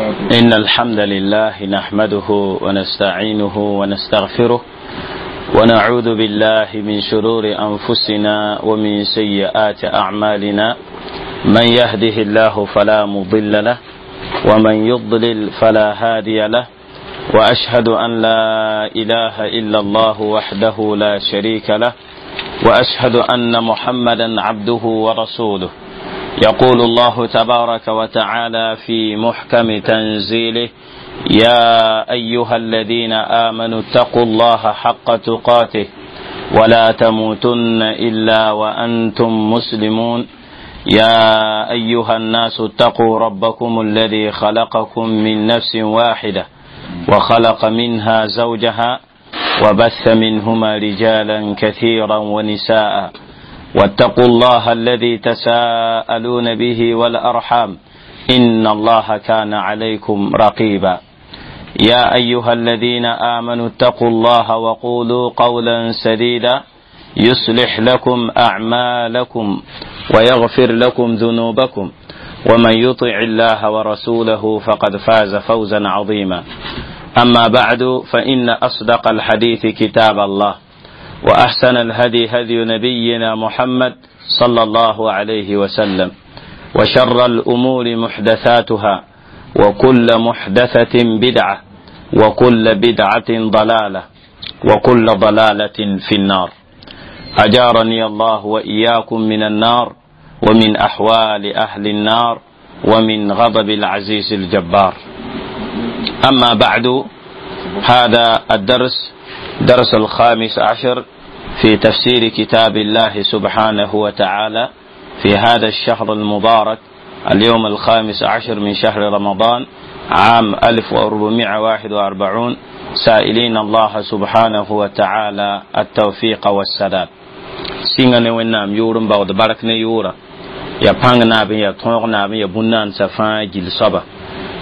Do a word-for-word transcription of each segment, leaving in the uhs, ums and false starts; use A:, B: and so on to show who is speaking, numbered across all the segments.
A: إن الحمد لله نحمده ونستعينه ونستغفره ونعوذ بالله من شرور أنفسنا ومن سيئات أعمالنا، من يهده الله فلا مضل له ومن يضلل فلا هادي له، وأشهد أن لا إله إلا الله وحده لا شريك له، وأشهد أن محمدا عبده ورسوله. يقول الله تبارك وتعالى في محكم تنزيله: يا أيها الذين آمنوا اتقوا الله حق تقاته ولا تموتن إلا وأنتم مسلمون. يا أيها الناس اتقوا ربكم الذي خلقكم من نفس واحدة وخلق منها زوجها وبث منهما رجالا كثيرا ونساء، واتقوا الله الذي تساءلون به والأرحام إن الله كان عليكم رقيبا. يا أيها الذين آمنوا اتقوا الله وقولوا قولا سديدا يصلح لكم أعمالكم ويغفر لكم ذنوبكم، ومن يطع الله ورسوله فقد فاز فوزا عظيما. أما بعد، فإن أصدق الحديث كتاب الله، وأحسن الهدي هدي نبينا محمد صلى الله عليه وسلم، وشر الأمور محدثاتها، وكل محدثة بدعة، وكل بدعة ضلالة، وكل ضلالة في النار. أجارني الله وإياكم من النار، ومن أحوال أهل النار، ومن غضب العزيز الجبار. أما بعد، هذا الدرس درس الخامس عشر في تفسير كتاب الله سبحانه وتعالى في هذا الشهر المبارك، اليوم الخامس عشر من شهر رمضان عام ألف وأربعمائة وواحد وأربعون، سائلين الله سبحانه وتعالى التوفيق والسداد. سيغا ne wẽnnaam yʋʋr n baood bark ne yʋʋra ya pãng naab n ya tõog naab n ya bũn-naandsã fãa gill soaba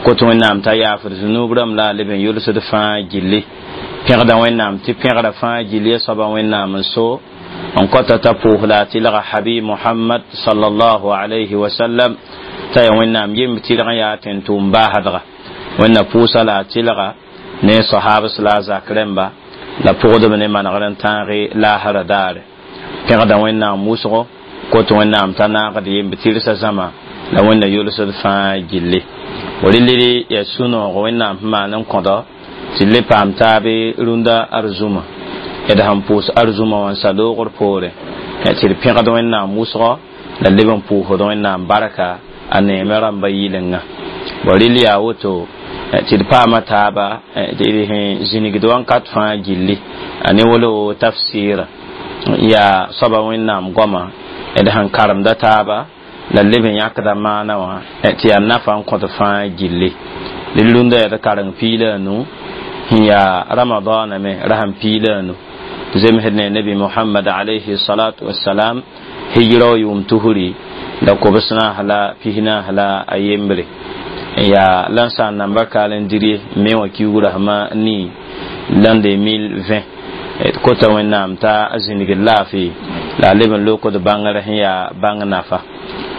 A: kot wẽnnaam t'a yaafd zunub rãmb la a leb n yʋlsd fãa gilli pẽgda wẽnnaam tɩ pẽgra fãa gill ya soaba wẽnnaam n so n kɔta t'a pʋʋs la a tɩlga habib Muhammad sallallahu alayhi wa sallam t'a ya wẽnnaam yemb tɩlg n yaa tẽn-tʋʋm baasdga wẽnna pʋʋsa la a tɩlga ne sahabs la a zak rẽmba la pʋgdb ne manegr n tãage laasra daare pẽgda wẽnnaam wʋsgo kot wẽnnaam t'a naagd yemb tɩrsa zãma la wẽnna yʋlsd fãa gilli rɩlɩ ya sũ-noog wẽnnaam sẽn maan n kõdɔ tɩ le paam taabe rũndã arzũma d sẽn pʋʋs arzũma wã n sa loogr poore tɩ d pẽgd wẽnnaam wʋsgɔ la leb n pʋʋsd wẽnnaam barka a neeme rãmba yɩlenga bõ rɩl yaa woto tɩ d paama taaba tɩ d sẽn zĩnigd wãnkat fãa gilli a ne wolo tafsɩɩra yaa soaba wẽnnaam goama d sẽn karemda taaba la leb n yãkda maana wã tɩ yaa nafa n kõt fãa gilli d rũndã yaa d kareng piila a nu sẽn yaa ramadaana me ra sẽn piila a nu zemsd ne nabi Muhammad alayhi salatu wassalam hijra wa yʋʋm tusri la kobs naas la pis naas la a yembre yaa la n sãn namba kaal n diri me wã kiugrã sẽma nii l'an deux mille vingt kota wẽnnaam t'a zĩnigd laafɩ la a leb n lokd bãngr sẽn yaa bãng nafa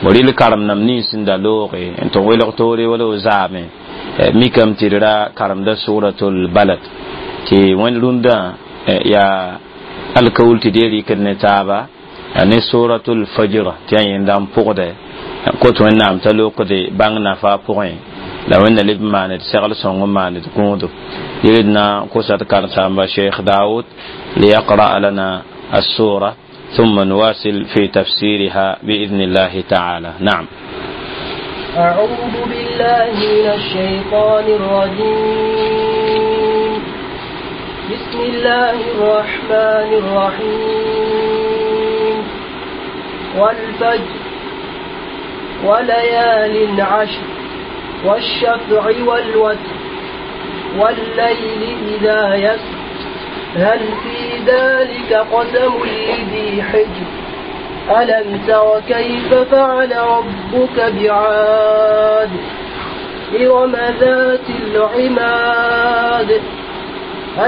A: bõ rɩl karem nam nins sẽn da looge n tɩ welg toore wala o zaame mikame tɩ d ra karemda suratul balad tɩ wẽnd rũndã yaa alkawul tɩ d ye rɩkd ne taaba ne suratul fajr tɩ yaa yẽnda n pʋgdɛ kot wẽnnaam t'a lokde bãng nafa pʋgẽ la wẽnna leb n maand segl sõng n maand gũudo yɩl d na kosa d karen-saamba Cheikh Daoud liyaqra lana السورة ثم نواصل في تفسيرها بإذن الله تعالى. نعم.
B: أعوذ بالله من الشيطان الرجيم. بسم الله الرحمن الرحيم. والفجر وليال عشر والشفع والوتر والليل إذا يسر هل في ذلك قسم لذي حجر ألم تر كيف فعل ربك بعاد إرم ذات العماد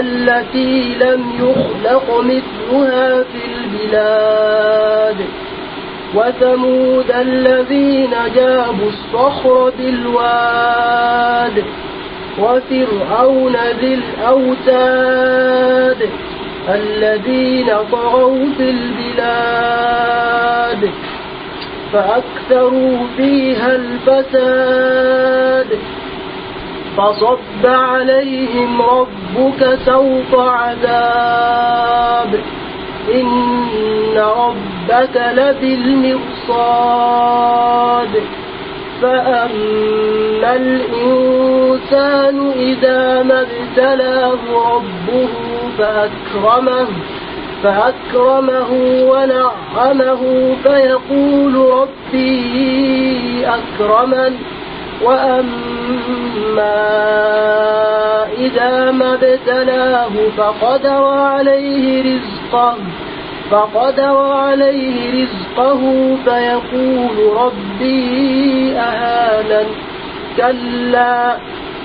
B: التي لم يخلق مثلها في البلاد وثمود الذين جابوا الصخر بالواد وفرعون ذي الأوتاد الذين طغوا في البلاد فأكثروا فيها الفساد فصب عليهم ربك سوط عذاب إن ربك لبالمرصاد فأما الإنسان إذا ما ابتلاه ربه فأكرمه فأكرمه ونعمه فيقول ربي أكرمن وأما إذا ما ابتلاه فقدر عليه رزقه فقدر عليه رزقه فيقول ربي أهانن كلا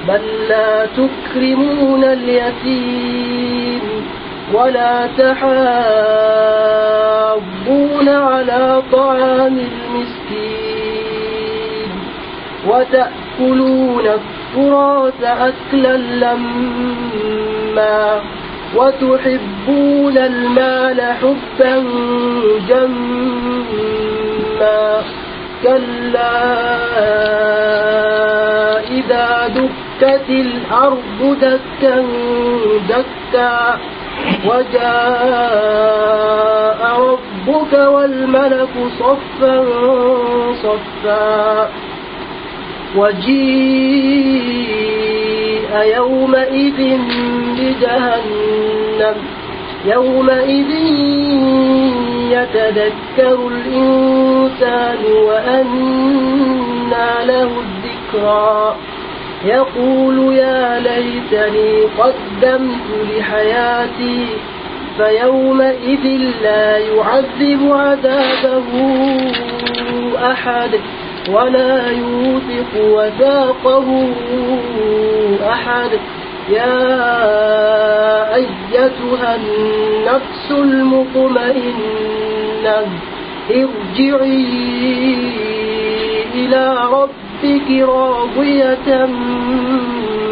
B: بل لا تكرمون اليتيم ولا تحاضون على طعام المسكين وتأكلون التراث أكلا لما وتحبون المال حبا جما كلا إذا دكت الأرض دكا دكا وجاء ربك والملك صفا صفا وجيء يومئذ بجهنم يومئذ يتذكر الإنسان وأنى له الذكرى يقول يا ليتني قدمت لحياتي فيومئذ لا يعذب عذابه أحد ولا يوثق وثاقه أحد يا أيتها النفس المطمئنة ارجعي إلى ربك راضية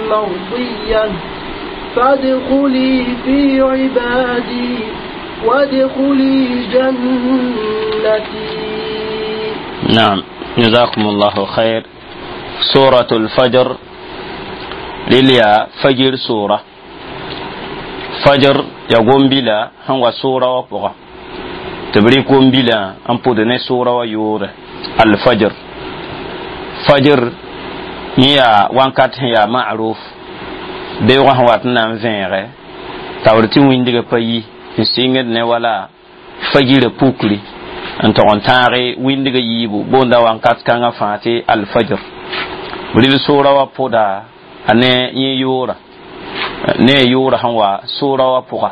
B: مرضية فادخلي في عبادي وادخلي جنتي.
A: نعم، جزاكم الله خير. سورة الفجر لليا فجر سورة فجر يقوم بلا هو سورة وبغى تبريكم بلا أن بودن سورة ويور الفجر فجر يا وانكات يا معروف بيوغا هو أتنا فينغ تاورتي ويندي باي نسينغ نوالا فجر بوكلي n tog n tãage wĩndg yiibu boonda wãnkat kãngã fãa tɩ alfajr rɩl soora wã pʋda a ne yẽ yʋʋra ne a yʋʋra sẽn wa soora wã pʋga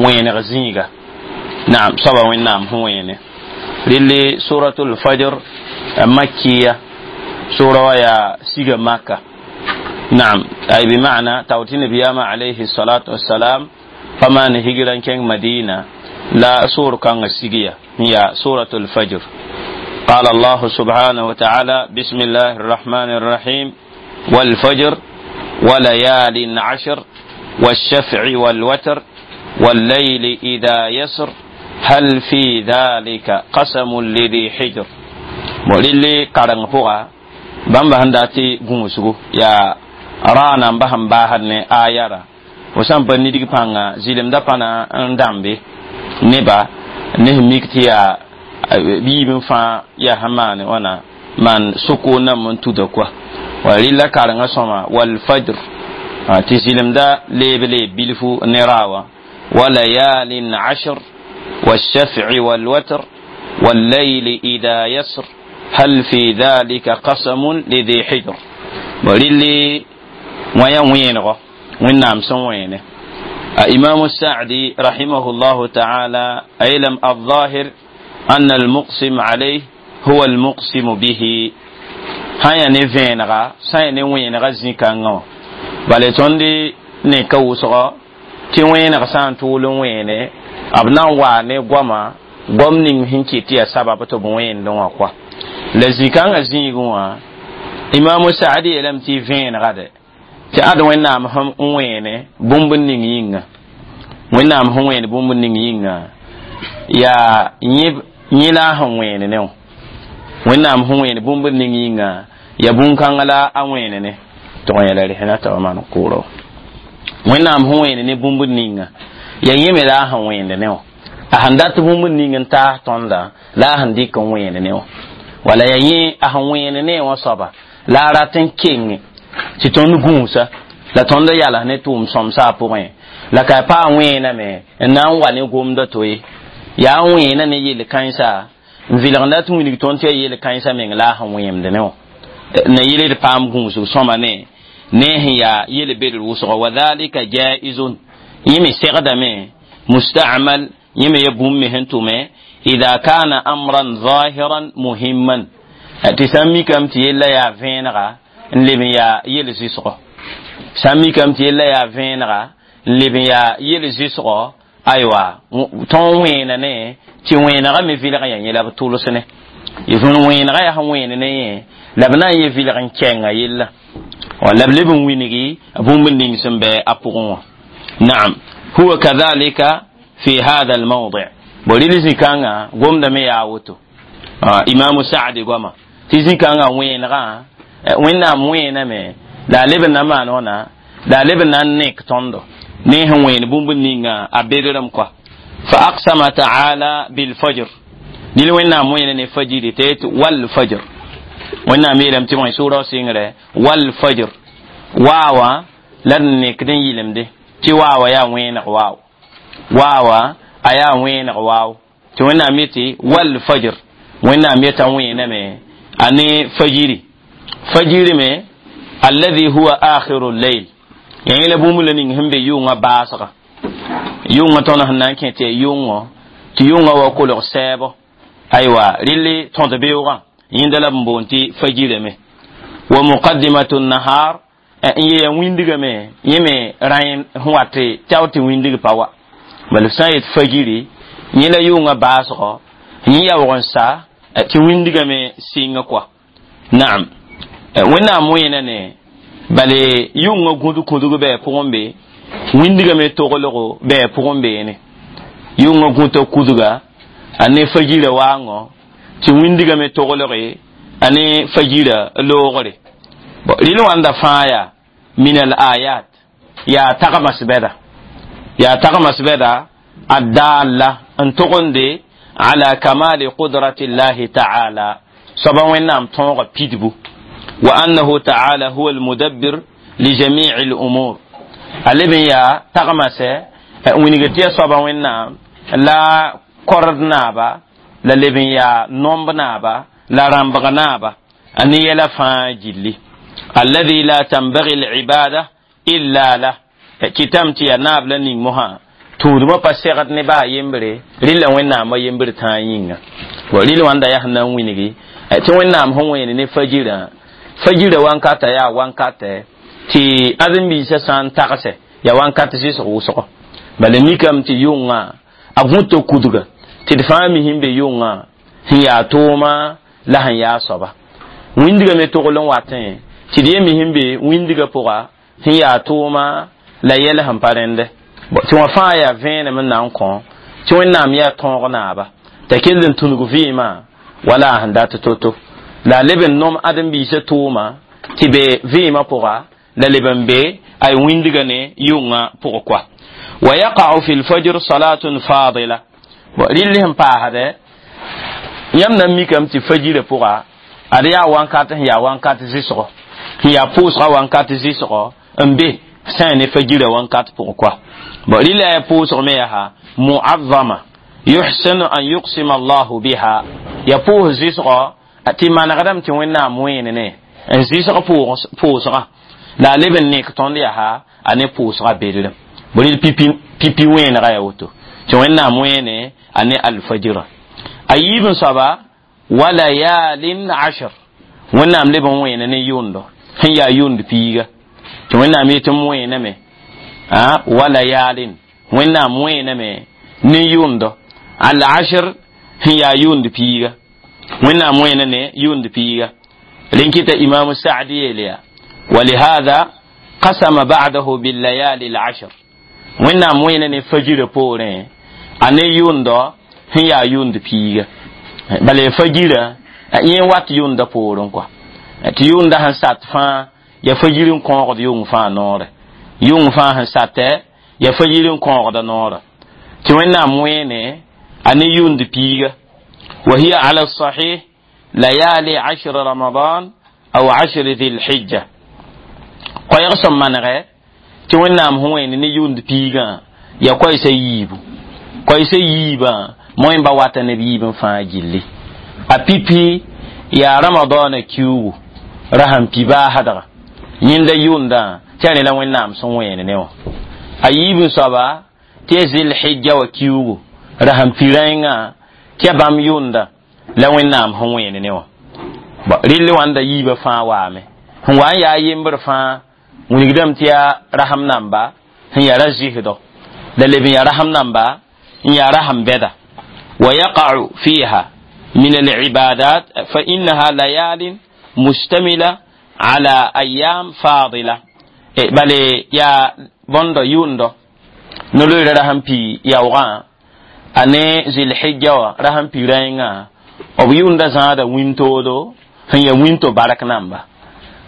A: wẽeneg zĩiga naam soaba wẽnnaam sẽn wẽene rɩl suratul fajr makiya soora wã yaa siga maka naam ay bima'na taw tɩ nabiyaamã alayhi salatu wassalam pa maan higra n kẽng madina لا سور كان السجية هي سورة الفجر. قال الله سبحانه وتعالى: بسم الله الرحمن الرحيم والفجر وليال عشر والشفع والوتر والليل إذا يسر هل في ذلك قسم لذي حجر. وللي قرن فوغا بامبا هنداتي غوسغو يا رانا بهم باهن آيارا وسام بنيدي بانغا زيلم دا بانا ndambe neba ne mik tɩ yaa biib n fãa yaa sẽn maane wãna maan soko nam n tuda koa wa rɩla karengã sõma walfajr tɩ zɩlemda leeb leeb bilfu ne raawa walayalin ashr والشفع والوتر والليل إذا يسر هل في ذلك قسم لذي حجر. وللي ويا وينغو وين سن وينه. إمام السعدي رحمه الله تعالى أيلم الظاهر أن المقسم عليه هو المقسم به هيا نفينغا ساي نوينغا زيكانغو بل توندي نكوسغا تي وينغا سان تولن وينه أبنا واني غوما غوم نين هنكي تي سبب تو بوين دون kwa la zikanga zĩigẽ wã Imamu Saadi yeelame tɩ vẽenega de tɩ ad Wẽnnaam sẽn wẽene bũmb ning yĩnga, Wẽnnaam sẽn wẽen bũmb ning yĩnga yaa yẽ la a sẽn wẽene ne wã. Wẽnnaam sẽn wẽen bũmb ning yĩnga ya bũn-kãngã la a wẽene ne tɩg n yɛla resẽna t'a maan kʋʋrɔ. Wẽnnaam sẽn wẽene ne bũmb ninga ya yẽ me la a sẽn wẽende ne wã. A sẽn dat bũmb ning n taas tõnda la a sẽn dɩk n wẽene ne wã, wala ya yẽ a sẽn wẽene ne wã soaba la a rat n kenge tɩ tõnd gũusa la tõnd yals ne tʋʋm sõmsa a pʋgẽ la ka pa a wẽename n na n wa ne gomda to ye. Yaa n wẽena ne yel-kãensa n vɩlgda tɩ wilg tõnd tɩ ya yel-kãensã meng la a sẽn wẽemd ne wã na yel d paam gũusg sõma ne ne sẽn yaa yel-bedr wʋsgo. Wa dhalika jaizun, yẽ me segdame, musta'mal, yẽ me ya bũmb me sẽn tʋme idha kana amran zahiran muhimman, tɩ sã n mikame tɩ yella yaa vẽenega n leb n yaa yel-zɩsgɔ, sã n mikame tɩ yella yaa vẽenega n leb n yaa yel-zɩsgɔ. Aywa, tõnd wẽena ne tɩ wẽenega me vɩlg ya yẽ la b tʋls ne wẽenega yaa sẽn wẽene ne yẽ la b na n ye vɩlg n kɛnga yella la b leb n wingi bũmb ning sẽn bɩ a pʋgẽ wã. Naam, huwa kadhalika fi hadha almawdi. Bo rɩl zĩ-kãngã gomdame yaa woto Imamu Saadi goama tɩ zĩ-kãngã wẽenegã Wẽnnaam wẽename la a leb n na maan wãna la a leb n na n nek tõndo ne sẽn wẽen bũmb ninga a bedrem kɔa. Fa aqsama taala bilfajr, nil Wẽnnaam wẽena ne fajiri tɩ yet walfajr. Wẽnnaam yeelame tɩ bõe sʋʋra sɩngre walfajr waawa la d nekd n yɩlemde tɩ waawa yaa wẽeneg waaw, waawa a yaa wẽeneg waaw tɩ Wẽnnaam yetɩ walfajr. Wẽnnaam yeta wẽename a ne fajiri, fajiri me alladhi huwa akhiru lleil, ya yẽla bũmb la ning sẽn be yʋngã baasga yʋngã tõnd sẽn na n kẽ tɩ ya yʋngõ tɩ yʋngã wa kolg sɛɛbo. Aywa, rɩl tõd beoogã yẽnda la b n boond tɩ fajirame wa muqaddimatu nahar n yeya wĩndigame yẽ me rãi sẽn wat tao tɩ wĩndig pa wa. Bala b sã n yet fajiri yẽ la yʋngã baasgɔ yẽ yaoog n sa tɩ wĩndigame sɩnga kɔa. Naam, Wẽnnaam wẽena ne bale yʋngã gũd kũdg bɩ pʋgẽ be wĩndigame toglgo bɩ pʋgẽ beene yʋngã gũta kudga a ne fajira waangõ tɩ wĩndigame toglge a ne fajira loogre. Rɩl wãnda fãa yaa min al ayat yaa tagmas bɛda, yaa tagmas bɛda adalla n togende ala kamali qudrati llahi taala, soaba Wẽnnaam tõoga pidbu, wa annahu taala huwa almudabbir li jamici lumur. A leb n yaa tagmasɛ wilg tɩ ya soaba Wẽnnaam la kord naaba la leb n yaa nomb naaba la rãmbg naaba a ne yɛla fãa gilli alladhi la tanbaghi alibada illa lah kɩtame tɩ yaa naab la ning mosã tũudmã pa segd ne baa yembre rɩla Wẽnnaamã yembr tãa yĩnga. Rɩl wãnda yaa sẽn na n wilgi tɩ Wẽnnaam sẽn wẽene ne fajirã, fajirã wankata yaa wankatɛ tɩ ãdem-biisã sã n tagsɛ yaa wankat zɩsg wʋsgo. Bala mikame tɩ yʋngã a gũta kudga tɩ d fãa mi sẽn be yʋngã sẽn yaa tʋʋma la sẽn yaa soaba wĩndiga me togl n watẽ tɩ d ye mi sẽn be wĩndiga pʋga sẽn yaa tʋʋma la yɛl sẽn pa rẽndɛ tɩ wã fãa yaa vẽenem n na n kõ tɩ Wẽnnaam yaa tõog naaba t'a kell n tũnug vɩɩmã wala a sẽn dat to-to la a leb n nom ãdem-biisã tʋʋma tɩ be vɩɩmã pʋga la leb n be ay wĩndiga ne yʋngã pʋgẽ koa. Wa yaqa'u fi lfajr salatun fadila, rɩll sẽn paasdɛ yãmb na n mikame tɩ fajirã pʋga ad yaa wankat sẽn yaa wankat zɩsgɔ sẽn yaa pʋʋsgã wankat zɩsgɔ n be sã ne fajirã wankat pʋgẽ koa. Rɩla yaa pʋʋsg me yaa mu'azzama yuhsinu an yuqsima allahu biha, ya pʋʋs zɩsgɔ tɩ manegdame tɩ Wẽnnaam wẽene ne n zɩsg pʋʋsgã la a leb n nek tõnd yaa a ne pʋʋsgã bedrem bõe pipi pipi wẽenega yaa woto tɩ Wẽnnaam wẽene a ne alfajira. A yiib n soaba wa layalin ashr, Wẽnnaam leb n wẽene ne yʋndo sẽn yaa yʋnd piiga tɩ Wẽnnaam yetɩ m wẽename wa layalin, Wẽnnaam wẽename ne yʋndo al ashr sẽn yaa yʋnd piiga, Wẽnnaam wẽena ne yʋnd piiga. Linkita Imam Sa'di yeeleya ولهذا قسم بعده بالليالي العشر wẽnnaam wẽena ne fajirã poorẽ a ne yʋʋndɔ sẽn yaa yʋʋnd piiga bala fajirã yẽ wat yʋʋnda poorẽ kɔa tɩ yʋʋnda sẽn sat fãa ya fajir n kõogd yʋng fãa noorɛ yʋng fãa sẽn satɛ ya fajir n kõogda noorã tɩ wẽnnaam wẽene a ne yʋʋnd piiga وهي على الصحيح ليالي عشر رمضان أو عشر ذي الحجة koɛɛg sẽn manegɛ tɩ wẽnnaam sẽn wẽnd ne yʋʋnd piigã ya koɛɛsa yiibu koɛɛsa yiibã moẽ ba wata neb yiib n fãa gilli a pipi yaa ramadaana kiugu ra sẽn pi baasdga yẽnda yʋʋndã tɩ a rẽ la wẽnnaam sẽn wẽen ne wã a yiib n soaba tɩ ya zilhija wa kiugu ra sẽn pi rãengã tɩ ya bãmb yʋʋnda la wẽnnaam sẽn wẽen ne wã rɩll wãnda yiibã fãa waame sẽn wa n yaa yembr fãa wilgdame tɩ yaa rasem namba sẽn yaa ra zɩsdɔ la leb n yaa rasem namba n yaa rasem bɛda ويقع فيها من العبادات فإنها ليال مشتملة على أيام فاضلة بل يا بوندو يوندو نلوي رحم بي يوغا ane zilhijja wa rasam pi rãengã b yʋʋnda zãada wĩntoodo sẽn ya wĩnto bark namba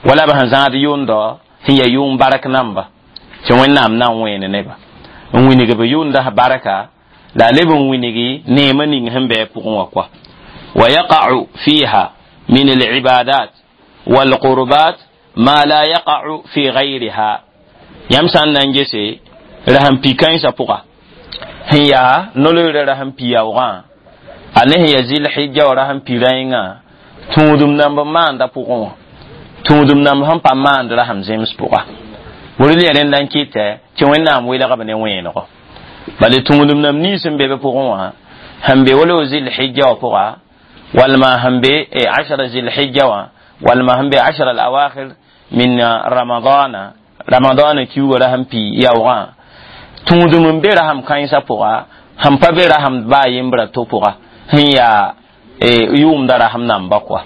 A: wala b sẽn zãad yʋʋndɔ sẽn ya yʋʋm bark namba tɩ wẽnnaam na n wẽene neba n wilg b yʋʋnda barka la a leb n wilgi neemã ning sẽn bɩ a pʋgẽ wã kɔa ويقع فيها من العبادات والقربات ما لا يقع في غيرها yãmb sã n na n gese rasem pi kãensã pʋga sẽn yaa no-loeerã rasem pi yaoogã a ne sẽn ya zilhija wã rasem pi rãengã tũudum namb n maanda pʋgẽ wã tũudum namb sẽn pa maand rasem zems pʋga burl ya rẽnda n kɩtɛ tɩ wẽnnaam welgb ne wẽenego bala tũudum namb nins n be b pʋgẽ wã sẽn be wala zilhija wã pʋga walma sẽn be ashara zilhija wã walma sẽn be ashara alawakhir min ramadana ramadana kiuga rasem pi yaoogã tũudum n be rasem kãensã pʋga sẽn pa be rasem baa yembra to pʋga sẽn yaa yʋʋmda rasem namba kɔa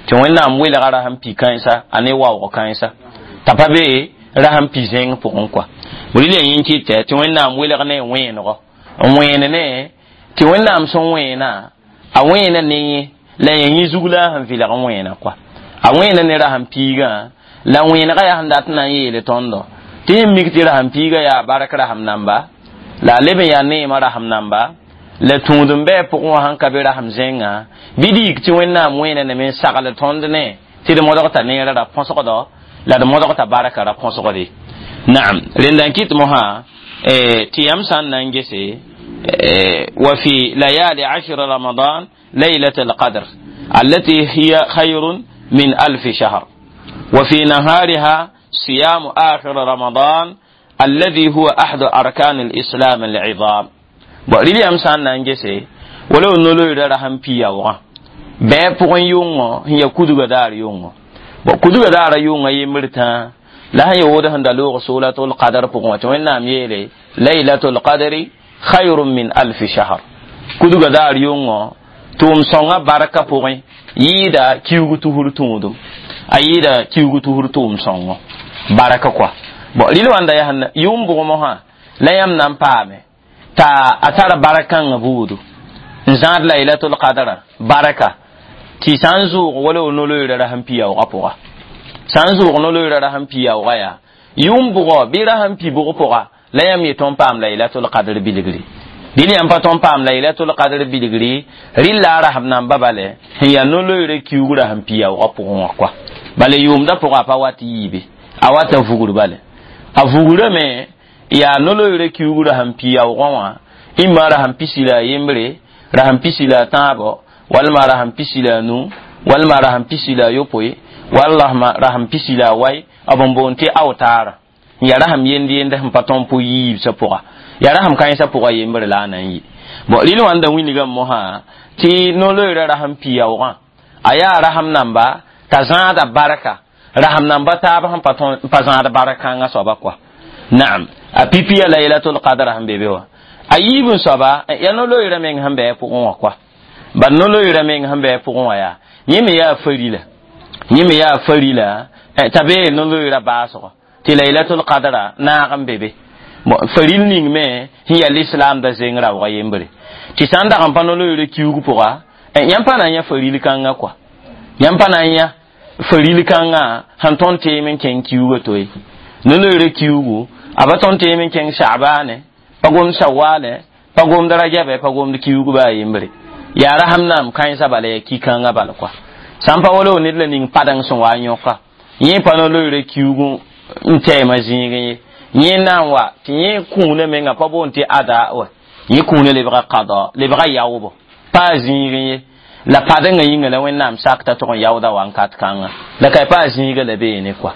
A: tɩ wẽnnaam welga rasem pi kãensa a ne waoog kãensa t'a pa be rasem pi zẽng pʋgẽ kɔa rɩl ya yẽ kɩtɛ tɩ wẽnnaam welg ne wẽenego n wẽen ne tɩ wẽnnaam sẽn wẽena a wẽena ne yẽ la ya yẽ zug la a sẽn vɩlg n wẽena kɔa a wẽena ne rasem piigã la wẽenega yaa sẽn dat n na n yeele tõndo tɩ yẽ mik tɩ rasem piigã yaa bark rasem namba la a leb n yaa neemã rasem namba la tũud n bɩ a pʋgẽ wã sẽn ka be rasem zẽngã bɩ d yik tɩ wẽnnaam wẽena neme n sagl tõnd ne tɩ d modg t'a neerã ra põsgdɔ la d modg t'a barka ra põsgde naam rẽnda n kɩt mosã tɩ yãmb sã n na n gese وفي ليالي عشر رمضان ليلة القدر التي هي خير من ألف شهر وفي نهارها صيام آخر رمضان الذي هو أحد أركان الإسلام العظام rɩl yãmb sã n na n gese wala no-loeera rasem pi yaoogã bɩ pʋgẽ yʋngõ sẽn ya kudga daar yʋngõ bon kudga daara yʋngã yembr tãa la sẽn ya wood sẽn da loog suratul qadr pʋgẽ wã tɩ wẽnnaam yeele laylatul qadri khayrun min alfi shahr kudga daar yʋngõ tʋʋm sõngã barka pʋgẽ yɩɩda kiuug tusr tũudum a yɩɩda kiuug tusr tʋʋm sõngo barka kɔa bon rɩl wãnda yaa yʋʋm bʋgmosã la yãmb na n paame t'a a tara bark-kãngã buudu n zãad laylatul qadra barka tɩ sã n zʋʋg wala w no-loeera rasem pi yaoogã pʋga sã n zʋʋg no-loeera rasem pi yaoogã yaa yʋʋm bʋgɔ bɩ rasem pi bʋg pʋga la yãmb ye tõnd paam laylatul qadr bilgri dɩl yãmb pa tõnd paam laylatul qadr bilgri rɩlla a rasem namba bale sẽn yaa no-loeera kiuug rasem pi yaoogã pʋgẽ wã kɔa bala yʋʋmda pʋga a pa wat yiibe a wata vugr bale a vugrame yaa no-loeera kiuug rasem pi yaoogã wã imma rasem pisi la a yembre rasem pisi la a tãabo walma rasem pisi la a nu walma rasem pisi la a yopoe wala rasem pisi la a wai b n boond tɩ aotaara n yaa rasem yend yend sẽn pa tõnd pʋ yiibsã pʋga yaa rasem kãensã pʋga yembre la a na n yɩ bon rɩl wãnda wilgame mosã tɩ no-loeera rasem pi yaoogã a yaa rasem namba t'a zãada barka rasem namba taab sẽn pa zãad bark-kãngã soaba kɔa naam a pipi ya laylatul qadr sẽn be be wã a yiib n soaba ya no-loeera meng sẽn bɩ a pʋgẽ wã kɔa bad no-loeera meng sẽn bɩ a pʋgẽ wã yaa yẽ me yaa farila Yẽ me yaa farila t'a bee no-loeera baasgo tɩ laylatul qadra naag n be be. Faril ning me sẽn yaa lislaamda zeng raoogã yembre tɩ sã n dag n pa no-loeera kiuug pʋga yãmb pa na n yã faril kãngã kɔa yãmb pa na n yã faril kãngã sẽn tõnd teem n kẽng kiuugã to ye no-loeera kiuugu a pa tõnd teem n kẽng Sha'baane pa gomd Shawale pa gomd Rajabe pa gomd kiuug baa yembre yaa rasam naam kãensã bala yaa ki-kãngã bal kɔa sã n pa wala ned la ning padeng sẽn wa n yõka yẽ pa no-loeera kiuug n tɛɛmã zĩigẽ ye yẽ na n wa tɩ yẽ kũunã menga pa boond tɩ ada wa yẽ kũunã lebga qada lebga yaoobo pa a zĩigẽ ye la padengã yĩnga la Wẽnnaam sak t'a tʋg n yaooda wankat kãnga la ka pa a zĩiga la beene kɔa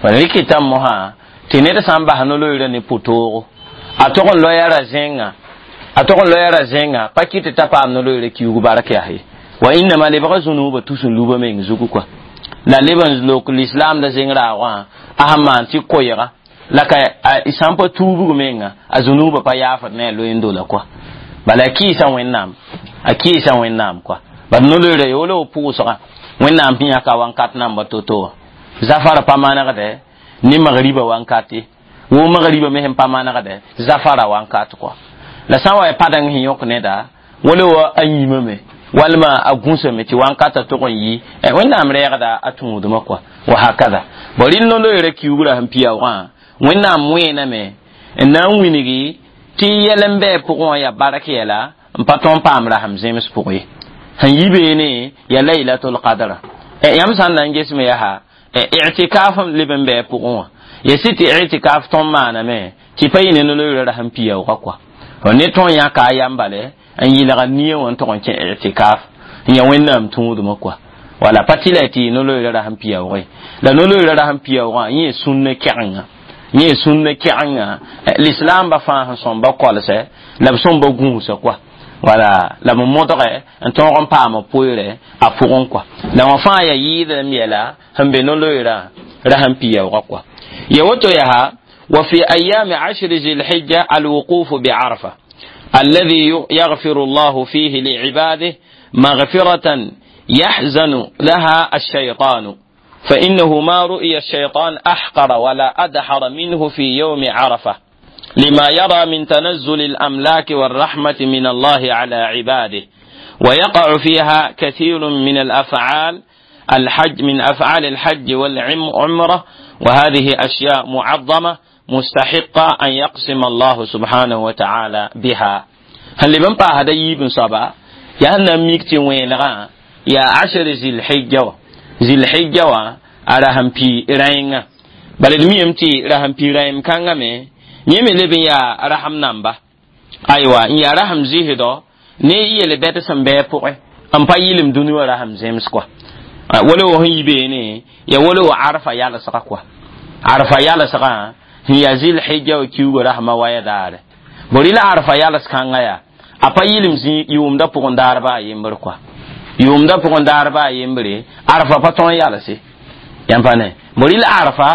A: rɩkɩtame mosã tɩ ned sã n bas no-loeera ne pʋtoogo a tʋg n loya ra zẽnga a tʋg n loya ra zẽnga pa kɩ tɩ t'a paam no-loeera kiuug bark yaa ye wa innama lebga zũnuubã tus n luba meng zugu kɔa la leb n lok lislaamda zeng raoogã a sẽn maan tɩ koɛɛga la ka sã n pa tuubg menga a zũnuubã pa yaafd ne a loeendo la kɔa bala a kɩɩsa Wẽnnaam a kɩɩsa Wẽnnaam kɔa bad no-loeera ya wala pʋʋsga Wẽnnaam sẽn yãka wankat namba to-to wã zafara pa manegdɛ ne magriba wankat ye wo magriba me sẽn pa manegdɛ zafara wankat kɔa la sã n wa ya padeng sẽn yõk neda wala wa a yĩmame walma a gũsame tɩ wankata tʋg n yi Wẽnnaam rɛɛgda a tũudmã kɔa wa hakada bõ rɩl no-loeera kiugrã sẽn piaoogã Wẽnnaam wẽename n na n wilgi tɩ yɛl n bɩ pʋgẽ wã yaa bark yɛla n pa tõnd paam rasem zems pʋgẽ ye sẽn yi beene yaa laylatul qadra yãmb sã n na n gesme yaa i'tikaf leb n bɩ pʋgẽ wã ya sɩ tɩ i'tikaf tõnd maaname tɩ pa yɩ ne no-loeera rasem piaoogã kɔa ne tõnd yãka a yam bale n yɩlga nia wã n tʋg n kẽ i'tikaf n yaa Wẽnnaam tũudmã kɔa wala pa tɩ la tɩ no-loeera rasem piaoogẽ la no-loeera rasem piaoogã yẽ sũnna kɛgenga yẽ sũnna kɛgenga lislaambã fãa sẽn sõmba kolsɛ la b sõmba gũusa kɔa wala la b modgɛ n tõog n paama poeerɛ a pʋgẽ kɔa la wã fãa yaa yɩɩdlem yɛla sẽn be no-loeerã rasem piaoogã kɔa ya woto yaa wa fi ayami ashri zilhijja alwuqufu bi'arfa الذي يغفر الله فيه لعباده مغفرة يحزن لها الشيطان فإنه ما رؤي الشيطان أحقر ولا أدحر منه في يوم عرفة لما يرى من تنزل الأملاك والرحمة من الله على عباده ويقع فيها كثير من الأفعال الحج من أفعال الحج والعمرة وهذه أشياء معظمة مستحقة أن يقسم الله سبحانه وتعالى بها هل لبن با هذا يبن صبا يا نميك وين يا عشر ذي الحجة ذي الحجة على هم في راينغا بل الميم تي رحم في رايم كانغامي نيمي لبن يا رحم نامبا أيوة يا رحم زيهدو ne yele bɛt sẽn bɩ pʋgẽ n pa yɩlem dũni wã rasem zems kɔa wala wa sẽn yi beene ya wala wa arfa yalsgã kɔa arfa yalsgã sẽn yaa zɩl hijja wa kiuugã rasmã waya daare bõ rɩla arfa yals kãngã yaa a pa yɩlem zĩ yʋʋmdã pʋgẽ daar baa yembr kɔa yʋʋmdã pʋgẽ daar baa yembre arfa pa tõe n yalse yãmb pa ne bõ rɩla arfa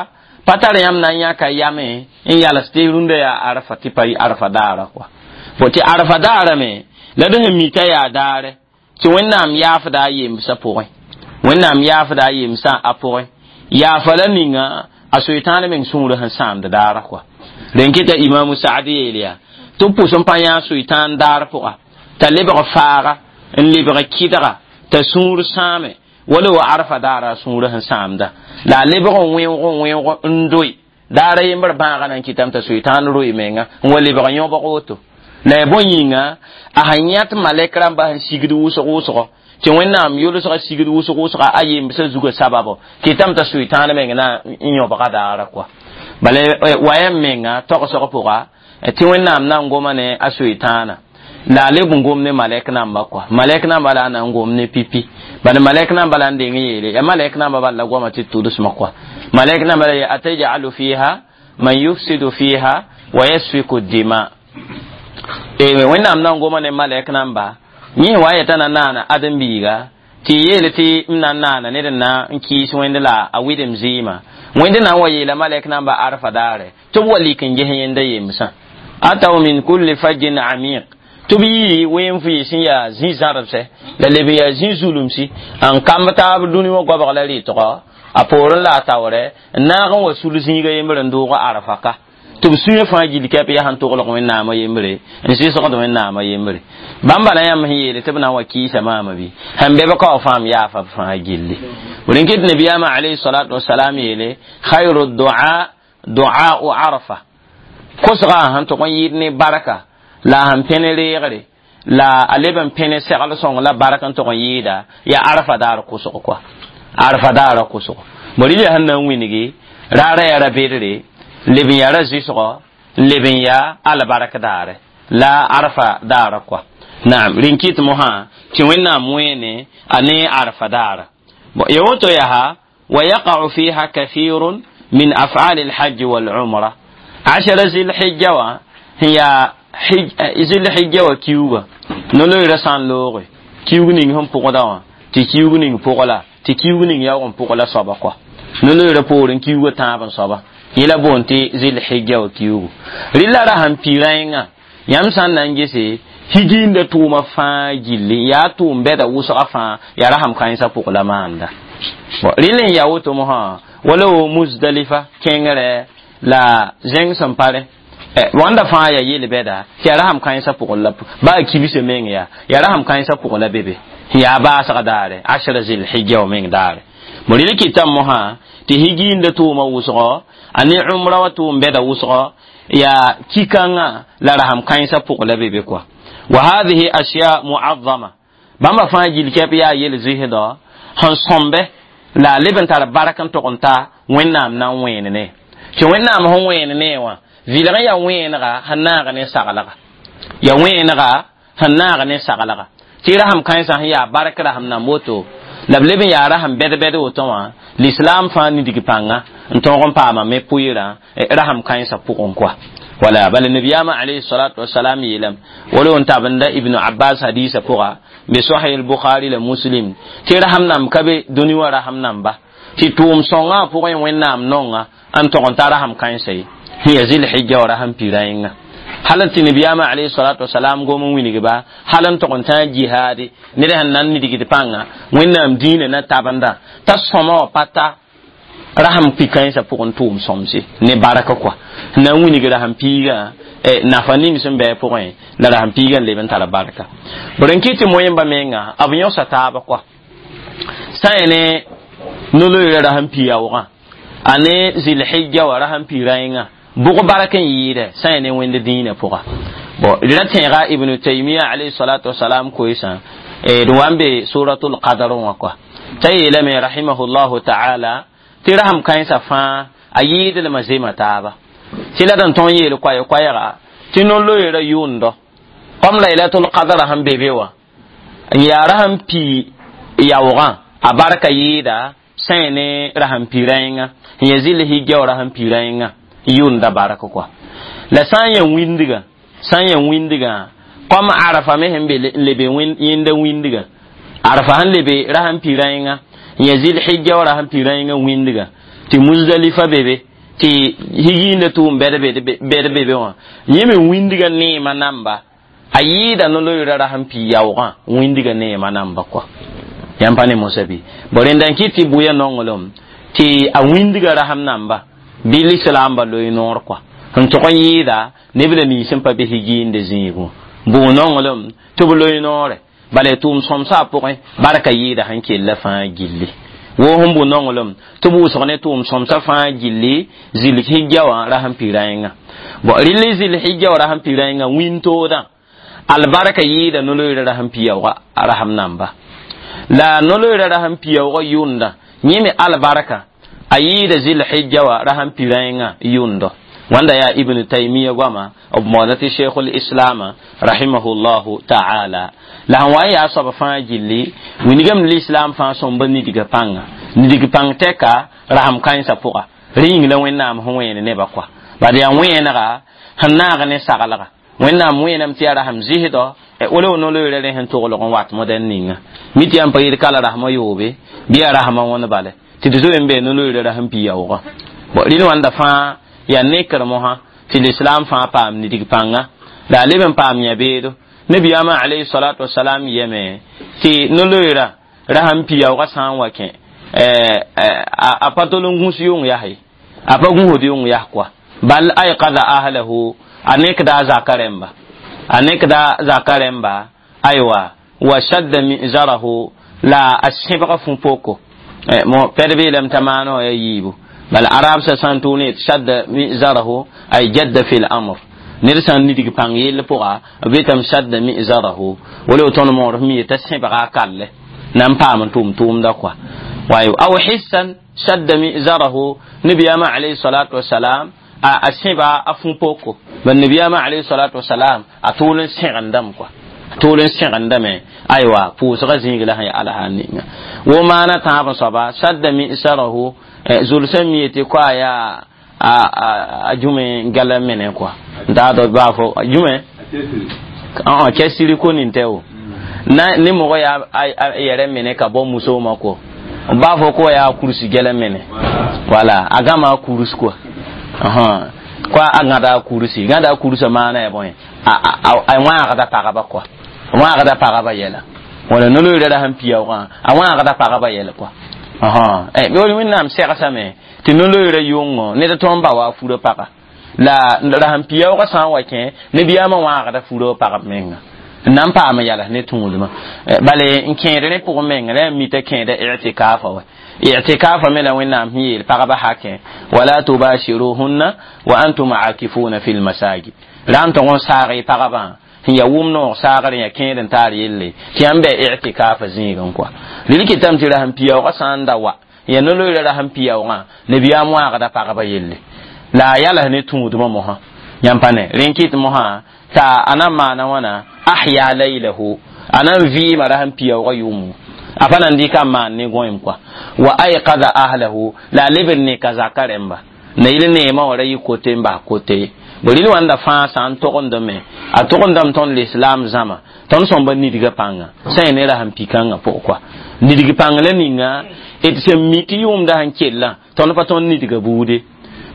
A: pa tar yãmb na n yãka yame n yals tɩ rũndã yaa arfa tɩ pa arfa daara kɔa bõ tɩ arfa daara me la d sẽn mi t'a yaa daare tɩ Wẽnnaam yaafda a yemsã pʋgẽ Wẽnnaam yaafda a yemsã a pʋgẽ yaafa la ninga a soetãan meng sũurã sẽn sãamd daara kɔa rẽn kɩta Imamu Saad yeel yaa tɩ b pʋs n pa yã soetãan daar pʋga t'a lebg faaga n lebg kɩdga t'a sũur sãame wala wa arfa daara a sũurã sẽn sãamda la a lebg n wẽoog n wẽoog n doe daara yembr bãagã na n kɩtame t'a soetãan roe menga n wa lebg yõbg woto la ya bõe yĩnga a sẽn yãt malɛk rãmbã sẽn sigd wʋsg wʋsgo tɩ Wẽnnaam yʋlsgã sigd wʋsg wʋsga a yembsã zugã sababo kɩtame t'a soetãan meng na n yõbga daara kɔa bala wayam menga togsg pʋga tɩ Wẽnnaam na n goma ne a soetãana la a leb n gom ne malɛk namba kɔa malɛk namba la a na n gom ne pipi bala malɛk namba la n deng yeele ya malɛk namba bala la goama tɩ tʋlsmã kɔa malɛk namba la ya atajalu fiha man yufsidu fiha wa yasfiku dima e Wẽnnaam na n goma ne malɛk namba yẽ wa yeta na naana ãdem-biiga tɩ yeele tɩ m na n naana ned n na n kɩɩs Wẽnd la a wɩdem zɩɩmã Wẽnd na n wa yeela malɛk namba arfa daare tɩ b wa lik n ges yẽnda yemsã ataw min kulli fajjin amiq Tɩ b yɩ ween vɩɩs n yaa zĩ-zãrbsɛ la leb n yaa zĩ-zulumsi n kamb taab dũni wã goabg la rɩtgɔ a poorẽ la a taoorɛ n naag n wa sul zĩiga yembre n doog arafa ka tɩ b sũyã fãa gill kɛp yaa sẽn toglg wẽnnaamã yembre n sɩsgd wẽnnaamã yembre bãmba la yãmb sẽn yeele tɩ b na n wa kɩɩsa maama bɩ sẽn be b ka wa fãa m yaafa b fãa gilli d kɩt nabiyaamã alayhi salatu wasalam yeele khayru dua duau arafa kosgã sẽn tʋg n yɩɩd ne barka la sẽn pẽne reegre la a leb n pẽne segl sõng la bark n tʋg n yɩɩda yaa arafa daar kosg kɔa arafa daara kosgo bõe sẽn na n wilgi raara yaa ra-bedre leb n yaa ra-zɩsgɔ leb n yaa albark daare la arafa daara kɔa naam rẽn kɩt mosã tɩ wẽnnaam wẽene a ne arafa daara ya woto yaa wa yaqau fiha kathirun min af'al alhajj walumra ashara zilhijja wã sẽn yaa zilhijja wã kiuga no-loeera sã n looge kiug ning sẽn pʋgda wã tɩ kiug ning pʋg la tɩ kiug ning yaoog n pʋg la soaba kɔa no-loeera poorẽ kiuga tãab n soaba yẽ la boond tɩ zilhijja wã kiugu rɩla ra sẽn pi rãengã yãmb sã n na n gese higiinda tʋʋma fãa gilli yaa tʋʋm bɛda wʋsga fãa yaa rasam kãensã pʋg la maanda rɩl n yaa woto mosã wala wo musdalifa kẽngrɛ la zẽng sẽn pare wãnda fãa yaa yel-bɛda tɩ yaa rasam kãensã pʋgẽ la baa kibsã meng yaa yaa rasam kãensã pʋgẽ la be be yaa baasg daare ashra zilhijja wã meng daare bõ rɩl kɩtame mosã tɩ higiinda tʋʋma wʋsgɔ a ne umra wa tʋʋm bɛda wʋsgɔ yaa kikãngã la rasam kãensã pʋgẽ la be be kɔa wa hadhihi ashya muazzama bãmba fãa gill kɛp yaa yel zɩsdɔ sẽn sõmbe la a leb n tar bark n tʋg n ta wẽnnaam na n wẽen ne tɩ wẽnnaam sẽn wẽen ne wã vɩlg n yaa wẽenega sẽn naag ne saglga ya wẽenega sẽn naag ne saglga tɩ rasam kãensã sẽn yaa bark rasam nan woto la b leb n yaa rasam bɛd-bɛd woto wã l'islam fãa nidg pãnga n tõog n paama me pʋɩɩrã rasam kãensã pʋgẽ koa wala bala nabiyama alayhi salatu wasalam yeelame wala n tabenda ibnu abbas hadisa pʋga be sahih al-bukhari la muslim tɩ rasam nam ka be dũni wã rasam namba tɩ tʋʋm sõngã pʋgẽ wẽnnaam nonga n tog n ta rasam kãensa ye sẽn yaa zilhijja wa rasam pira yẽnga hal tɩ nabiyaamã alayhi salatu wasalam gom n wilgba hal n tog n tã jihaade ned sẽn na n nidgd pãnga wẽnnaam dĩinã na tabenda t'a sõma wã pa ta rasam pi kãensã pʋgẽ tʋʋm sõmse ne barka kɔa na n wilg rasam piigã nafa ning sẽn bɩ pʋgẽ la rasam piigã n leb n tara barka b rẽn kɩ tɩ moẽmba menga b yõsa taaba kɔa sã n ne no-loeera rasam pi yaoogã a ne zilhijja wa rasam pi rãengã bʋg bark n yɩɩdɛ sã n ne wẽnd dĩinã pʋga bon ra tẽega ibnu taymia alayhi salatu wasalam koeesã d wa n be suratul qadr wã kɔa t'a yeelame rahimahullahu ta'ala tɩ rasam kãensã fãa a yɩɩdlmã zema taaba tɩ la d n tõog yeel koɛɛ-koɛɛga tɩ no-loeera yʋʋndɔ kom laylatul qadra sẽn be be wã n yaa rasam pi yaoogã a barka yɩɩda sã n ne rasam pi rãengã n yaa zil-hijja wa rasam pi rãengã yʋʋnda bark kɔa la sã n yaa wĩndgã sã n yaa wĩndgã kom arafa me sẽn be n lebe yẽnda wĩndgã arafa sẽn lebe rasam pi rãengã n yaa zil-hijja wa rasam pi rãengã wĩndgã tɩ muzdalifa be be tɩ higiinda tʋʋm bɛd be be wã yẽ me wĩndgã neemã namba a yɩɩda no-loeera rasam pi yaoogã wĩndgã neemã namba kɔa yãmb pa ne mosa bɩ bõ rẽnda n kɩt tɩ bʋya nonglem tɩ a wĩndgã rasam namba bɩ lislaamba loe noor kɔa sẽn tʋg n yɩɩda neb la nins sẽn pa be higiinde zĩigẽ bʋ nonglem tɩ b loe noore bala tʋʋm sõmsã pʋgẽ barka yɩɩda sẽn kella fãa gilli wo sẽn bʋ nonglem tɩ b wʋsg ne tʋʋm sõmsã fãa gilli zil-hijja wã rasam pi rãengã bõ rɩl zil-hijja wã rasam pi rãengã wĩntoodã albarka yɩɩda no-loeera rasam pi yaoogã rasam namba la no-loeera rasam pi yaoogã yʋnda yẽ me albarka a yɩɩda zil-hijja wã rasam pi rãengã yʋndɔ wãnda yaa ibnu taymia goama b moona tɩ sheikhul islama rahimahullahu ta'ala la sẽn wa n yaa soab fãa gilli wilgame l'islam fãa sõmba nidga pãnga nidg pãng tɛka rasam kãensã pʋga rẽ yĩng la wẽnnaam sẽn wẽen nebã kɔa bad yaa wẽenega sẽn naag ne saglga wẽnnaam wẽename tɩ yaa rasam zɩsdɔ wala no-loeera rẽ sẽn toglg n wat modɛn ninga mi tɩ yãmb pa yɩl kala rasmã yoobe bɩ yaa rasmã wõnd bale tɩ d zoe n bee no-loeera rasam pi yaoogã bon rɩl wãnda fãa yaa nekr mosã tɩ l'islam fãa paam nidg pãnga la a leb n paam yã beedo Nabiyama alayhi salatu wassalam yeme tɩ no-loeera ra sãn piyaoogã sã n wa kẽ a pa tol n gũs yʋng yase a pa gũsd yʋng yas kɔa bal aykada ahlahu a nekda a zaka rẽmba a nekda zaka rẽmba aywa wa shadda mizarahu la a sẽbga fũ-poko mo pɛd beelame t'a maana wã ya yiibu bal arab sa sãn tʋʋ ne shadda mizarahu ay jadda fi l-amr ned sã n nidg pãng yell pʋga b betame shadda mizarahu wala tõnd moor mi t'a sẽbga a kalle na n paam n tʋʋm tʋʋmda kɔa wayo aw hissan shadda mizarahu nabiyama alayhi salatu wasalam a sẽba a fũ-poko bal nabiyama alayhi salatu wasalam a tʋʋl n sẽgendame kɔa tʋʋl n sẽgendame aywa pʋʋsga zĩig la sẽn ya alsaan ninga wo maana tãab n soaba shadda misarahu zulsã mi yetɩ koa yaa a jume gala mene kɔa n taad baa fo jume cɛsiri ko nin tɛ o na ni mɔgɔ y'a yɛrɛ minɛ ka bɔ musow ma ko n b'a fɔ ko y'a kurusi gɛlɛn minɛ wala a gama kurusi quoi ko a gãda kurusi gãda kurusa maana ya bõe a wãagda pagba quoi wãagda pagba yɛla wala no-loeera ra sẽn piyaoogã a wãagda pagba yɛla quoi wẽnnaam segsame tɩ no-loeera yʋngo ned tõnd ba wa a fura paga la ra sẽn piyaoogã sã n wa kẽ nebiyaamã wãagda fura pagb menga n na n paam yals ne tũudmã bale n kẽed rẽ pʋgẽ menga la yaa mita kẽeda i'tikafa wa i'tikafa me la wẽnnaam sẽn yeel pagba hakẽ wala tubashiruhunna wa antum akifuna fi lmasajid ra n tog n saag y pagbã sẽn ya wʋm noog saagr n ya kẽed n taar yelle tɩ yãmb bɩ i'tikafa zĩigẽ kɔa rel kɩtame tɩ ra sẽn piyaoogã sã n da wa ya no-loeera ra sẽn piyaoogã nabiyaam wãagda pagba yelle la a yals ne tũudmã mosã yãmb pa ne rẽn kɩt mosã t'a a na n maana wãna ahya laylahu a na n vɩɩma ra sẽn piyaoogã yʋʋmo a pa na n dɩka n maan ne gõem kɔa wa aykada ahlahu la a leb n neka zaka rẽmba na yɩl neemã wã ra yɩ kote n bas kote bo rɩl wãnda fãa sã n togendame a togendame tõnd l'islam zãma tõnd sõmba nidgã pãnga sã yẽ ne ra sẽn pi-kãngã pʋgẽ kɔa nidg pãng la ninga d sẽn mi tɩ yʋʋmda sẽn kellã tõnd pa tõnd nidga buude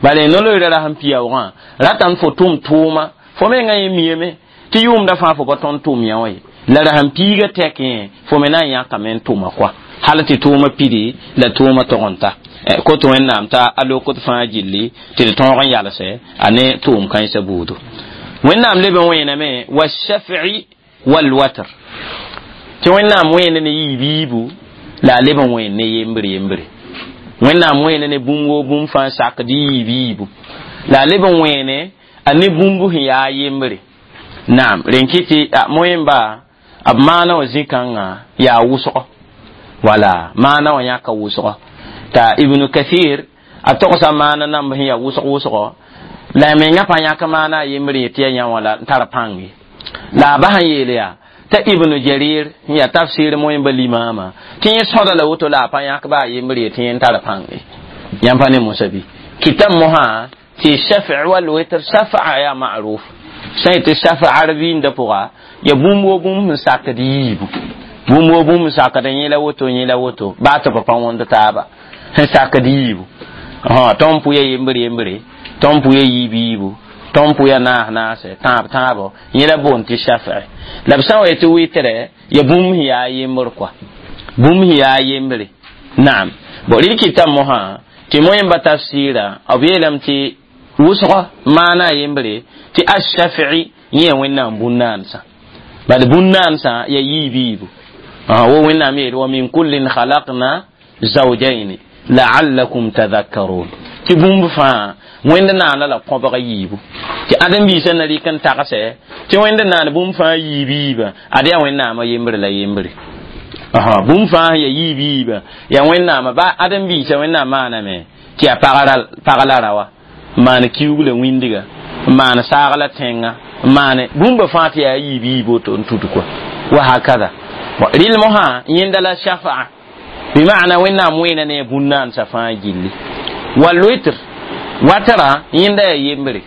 A: bala no-loeera ra sẽn piyaoogã ratame fo tʋm tʋʋma fo mengã yẽ miame tɩ yʋʋmda fãa fo pa tõnd tʋm yã wã ye la ra sẽn piiga tɛk yẽ fo me na n yãkame n tʋma kɔa hal tɩ tʋʋma pidi la tʋʋma tog n ta kot wẽnnaam t'a a lokd fãa gilli tɩ d tõog n yalsɛ a ne tʋʋm kãensã buudo wẽnnaam leb n wẽename washaf'i walwatr tɩ wẽnnaam wẽene ne yiib yiibu la a leb n wẽen ne yembre yembre wẽnnaam wẽene ne bũmb woo bũmb fãa sakd yiib yiibu la a leb n wẽene a ne bũmb sẽn yaa yembre naam rẽn kɩ tɩ moẽmba b maana wã zĩ-kãngã yaa wʋsgo wala maana wã yãka wʋsgo t'a ibnu kathir a togsa maana namb sẽn yaa wʋsg wʋsgo la a menga pa yãk maana a yembre yetɩ ya yã wã la n tar pãng ye la a bas n yeel yaa t'a ibnu jarir sẽn yaa tafsir moẽmba limaamã tɩ yẽ sõda la woto la a pa yãk ba a yembre yetɩ yẽ n tar pãng ye yãmb pa ne mosa bɩ kɩtame mosã tɩ shaf' wal witr shafa'a yaa ma'ruf sã yetɩ shafa'a rviinda pʋga ya bũmb wo bũmb sẽn sakd yiibu bũmb wo bũmb sakd yẽ la woto yẽ la woto baa tɩ b pa wõnd taaba sẽn sakd yiibu tõnd pʋya yembre yembre tõnd pʋya yiib yiibu tõnd pʋya naas naase tãab tãabo yẽ la boond tɩ shaf'i la b sã n wa yetɩ wɩtrɛ ya bũmb sẽn yaa yembr kɔa bũmb sẽn yaa yembre naam bon rɩl kɩtame mosã tɩ moẽmba tafsɩɩra b yeelame tɩ wʋsgo maana a yembre tɩ ashaf'i yẽ ya wẽnnaam bũn-naansã bad bũn-naansã ya yiib yiibu wo wẽnnaam yeel wa min kullin khalaqna zawjayn la'allakum tadhakkarun tɩ bũmb fãa wẽnd naana la kõbg yiibu tɩ ãdem-biisã na rɩk n tagsɛ tɩ wẽnd naan bũmb fãa yiib yiibã ad yaa wẽnnaamã yembre la yembre bũmb fãa ya yiib yiibã yaa wẽnnaamã ba ãdem-biisã wẽnnaam maaname tɩ yaa pag la rawa n maan kiuug la wĩndga n maan saag la tẽnga n maan bũmba fãa tɩ yaa yiib yiib woto n tud kɔa wa hakada rɩl mosã yẽnda la shafa'a bima'na wẽnnaam wẽena ne bũn-naansã fãa gilli walwitr watara yẽnda yaa yembre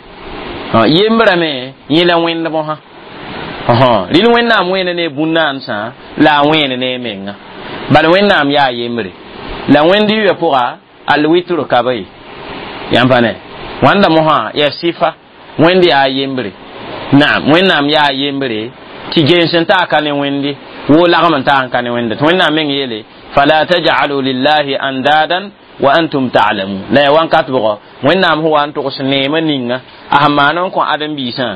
A: yembrã me yẽ la wẽnd mosã rɩl wẽnnaam wẽena ne bũn-naansã la a wẽen ne menga bal wẽnnaam yaa yembre la wẽnd yʋya pʋga alwitr ka ba ye yãmb pa ne wãnda mosã yaa sɩfa wẽnd yaa yembre naam wẽnnaam yaa yembre Tɩ gens n taa ka ne wẽnde woo lagm n taa n ka ne wẽnde tɩ wẽnnaam meng yeele fala taj'alu lillahi andadan wa antum ta'lamun la ya wankat bʋgɔ wẽnnaam sẽn wa n togs neemã ninga a sẽn maan n kõ ãdem-biisã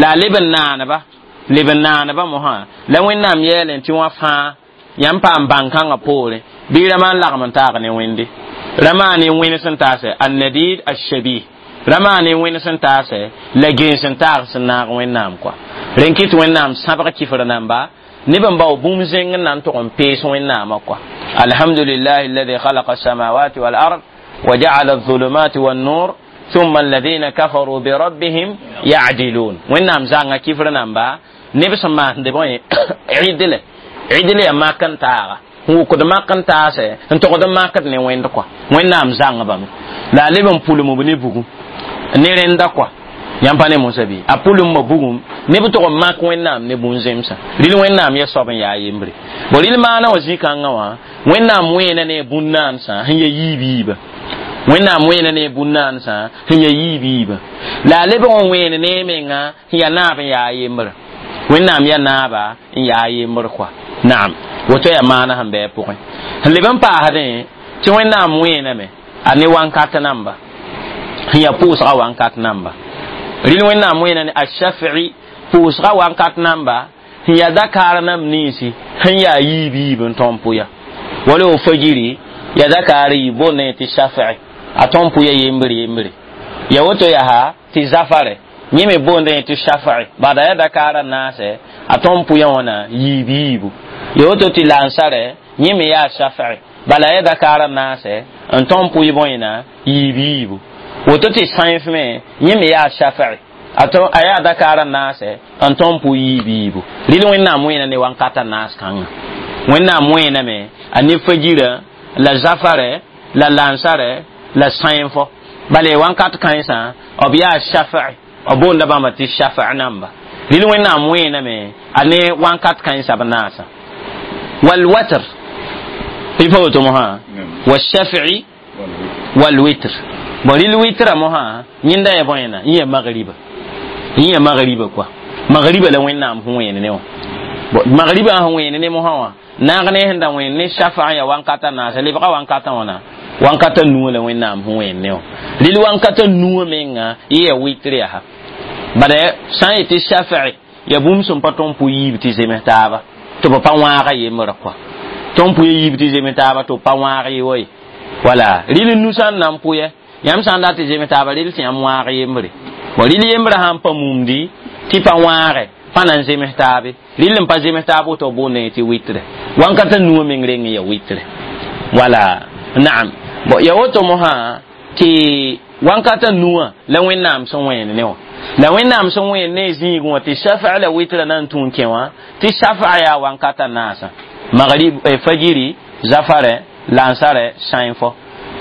A: la a leb n naaneba leb n naaneba mosã la wẽnnaam yeelẽ tɩ wã fãa yãmb paam bãn-kãngã poorẽ bɩ rãmã n lagm n taag ne wẽnde rãmã ne wẽns n taase annadid ashabih rãmã ne wẽns n taase la gens n taag sẽn naag wẽnnaam kɔa rẽn kɩt wẽnnaam sãbg kifr namba neb n bao bũmb zẽng n na n tʋg n pees wẽnnaamã kɔa alhamdulillahi alladi khalaqa alsamawati walard وجعل الظلمات والنور ثم الذين كفروا بربهم يعدلون wẽnnaam zãnga kifr namba neb sẽn maasde bõe ɩdle ɩdle yaa mak n taaga n wʋkd mak n taase n togd n makd ne wẽnd kɔa wẽnnaam zãngbame la a leb n pulm b ne bugum ne rẽnda kɔa yãmb pa ne mosa bɩ a pulmma bugum neb tʋg n mak wẽnnaam ne bũn-zemsã rɩl wẽnnaam ya soab n yaa yembre bo rɩl maana wã zĩ-kãngã wã wẽnnaam wẽena ne bũn-naansã sẽn ya yiib yiiba wẽnnaam wẽena ne bũn-naansã sẽn ya yiib yiiba la a lebg n wẽen ne menga sẽn yaa naab n yaa yembrã wẽnnaam ya naaba n yaa yembr kɔa naam woto yaa maana sẽn bɩ a pʋgẽ sẽn leb n paasdẽ tɩ wẽnnaam wẽename a ne wankat namba sẽn yaa pʋʋsga wankat namba rɩl wẽnnaam wẽena ne ashafi pʋʋsga wankat namba sẽn yaa dakaar nam ninsi sẽn yaa yiib yiib n tõn pʋya wala o fajiri ya dakaar yi boondẽ tɩ shafi a tõn pʋya yembre yembre ya woto yaa tɩ zafare yẽ me boondẽ tɩ shafi bada ya dakaara naasɛ a tõn pʋya wãna yiib yiibu ya woto tɩ lansarɛ yẽ me yaa shafi bala ya dakaara naasɛ n tõn pʋy bõena yiib yiibu woto tɩ sãenf me yẽ me yaa shafi a tõn a yaa dakaara naasɛ n tõn pʋ yiib yiibu rɩl wẽnnaam wẽena ne wankata naas kãngã wẽnnaam wẽename a ne fajirã la zafarɛ la lansarɛ la sãenfo bala wankat kãensã b yaa shafi b boonda bãmba tɩ shafi namba rɩl wẽnnaam wẽename a ne wankat kãensã b naasã walwatr tɩ pa woto mosã washafi walwitr bon rɩl witra mosã yẽnda ya bõena yẽ ya magriba yẽ ya magriba kɔa magriba la wẽnnaam sẽn wẽen ne wã magriba sẽn wẽen ne mosã wã naag ne sẽn da wẽen ne shafa ya wankata naasa lebga wankata wãna wankata nuwã la wẽnnaam sẽn wẽen ne wã rɩl wankata nuwã menga yẽ ya witr yaa bala sã n yetɩ shafi ya bũmb sẽn pa tõn pʋ yiib tɩ zems taaba tɩ b pa wãaga yembrã kɔa tõn pʋ yiib tɩ zems taaba tɩ b pa wãag ye wa ye wala rɩl nu sã n na n pʋyɛ yãmb sã n dat tɩ zems taaba rɩl tɩ yãmb wãag yembre bon rɩl yembrã sã n pa mumdi tɩ pa wãage pa na n zems taabe rɩl n pa zems taab woto boondẽ tɩ witre wankata nuwã meng reng n ya witre wala naam bon ya woto mosã tɩ wankata nuwã la wẽnnaam sẽn wẽen ne wã la wẽnnaam sẽn wẽen ne zĩig wã tɩ shafa la witra na n tũ n kẽ wã tɩ shafa yaa wankata naasã magrib fajiri zafarɛ lansarɛ sãenfo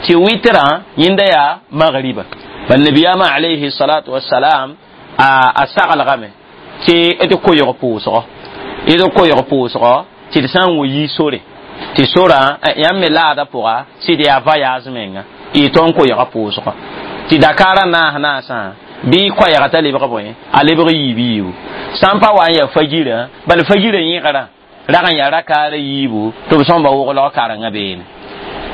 A: tɩ witrã yẽnda yaa magriba bal nabiyama alayhi salatu wassalam a saglgame tɩ d koyg pʋʋsgɔ d koyg pʋʋsgɔ tɩ d sã n wa yi sore tɩ sorã yãmb me laada pʋga sɩd yaa voyage menga y tõn koyga pʋʋsgɔ tɩ dakaarã naas naasã bɩ koɛɛga t'a lebg bõe a lebg yiib yiibu sã n pa wa n yaa fajirã bala fajirã yẽgrã rag n yaa rakaara yiibu tɩ b sõmba woglg karengã beene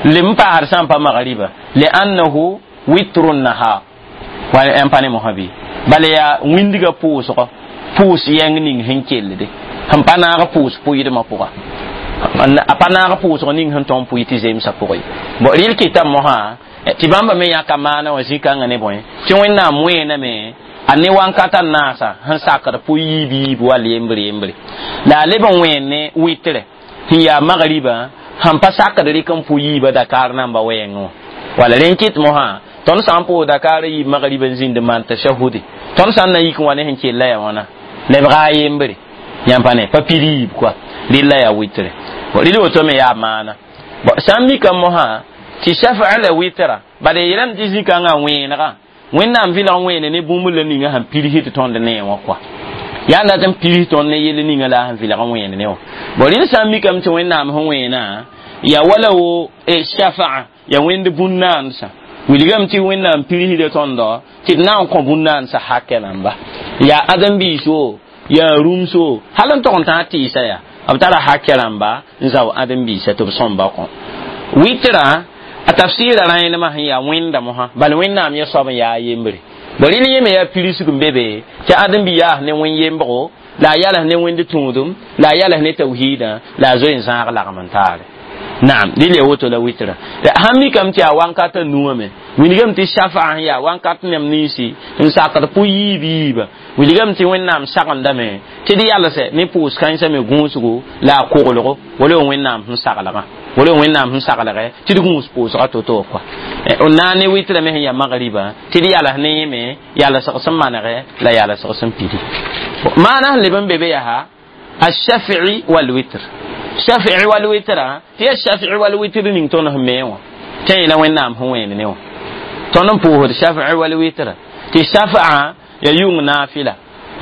A: lem n paasd sã n pa magriba liannahu witru nahar wa n pa ne mosã bɩ bala yaa wĩndgã pʋʋsgɔ pʋʋs yɛng ning sẽn kellde sẽn pa naag pʋʋs pʋɩdmã pʋga a pa naag pʋʋsg ning sẽn tõn pʋɩ tɩ zemsã pʋgẽ bon rɩl kɩtame mosã tɩ bãmba me yãka maana wã zĩ-kãngã ne bõe tɩ wẽnnaam wẽename a ne wankata naasã sẽn sakd pʋ yiib yiib wall yembre yembre la a leb n wẽen ne witre sẽn yaa magriba sẽn pa sakd rɩk n pʋ yiiba dakaar namba wɛɛngẽ wã wala rẽn kɩt mosã tõnd sã n pʋʋs dakaar yiib magriba n zĩnd maan tashahudi tõnd sã n na yik n wa ne sẽn kell la yaa wãna lebga a yembre yãmb pa ne pa pid yiib kɔa rɩl la yaa witre rɩl woto me yaa maana sã n mikame mosã tɩ shafa la witra bala yeelame tɩ zĩ-kãngã wẽenegã wẽnnaam vɩlg wẽene ne bũmb la ninga sẽn pirs tɩ tõnd nee wã kɔa yaa n dat n pirs tõnd ne yell ninga la sẽn vɩlg wẽene ne wã bon rɩl sã n mikame tɩ wẽnnaam sẽn wẽenã yaa wala wo shafa'a ya wẽnd bũn-naansã wilgame tɩ wẽnnaam pirsda tõndɔ tɩ d na n kõ bũn-naansã hakɛ namba yaa ãdem-biis wo Yaa rũmso hal n tog n tã tɩɩsa yaa b tara hakɛ rãmba n zao ãdem-biisã tɩ b sõmba kõ wɩtrã a tafsɩɩra rãenemã sẽn yaa wẽnda mosã bal wẽnnaam yẽ soab n yaa a yembre bõ rɩl yẽ me yaa pirsg n be be tɩ ãdem-bi yaas ne wẽn yembgo la a yals ne wẽnd tũudum la a yals ne tawhiidã la a zoe n zãag lagm n taare naam rɩl ya woto la wɩtra sãn mikame tɩ yaa wankata nuwã me wilgame tɩ shafa sẽn yaa wankat neb ninsi n sakd pʋ yiib yiiba wilgame tɩ wẽnnaam sagendame tɩ d yalsɛ ne pʋʋs kãensã me gũusgo la a koglgo wala wẽnnaam sẽn saglgã wala wẽnnaam sẽn saglgɛ tɩ d gũus pʋʋsga to-to kɔa n na n ne wɩtrã me sẽn yaa magriba tɩ d yals ne yẽ me yalsg sẽn manegɛ la yalsg sẽn pidi maana sẽn leb n be be yaa الشفع والوتر شفع والوتر tɩ yaa shafi'i wal witr ning tõnd sẽn me wã tẽ la wẽnnaam sẽn wẽen ne wã tõnd n pʋʋsd shafi'i wal witr tɩ shafa'a ya yʋng naafila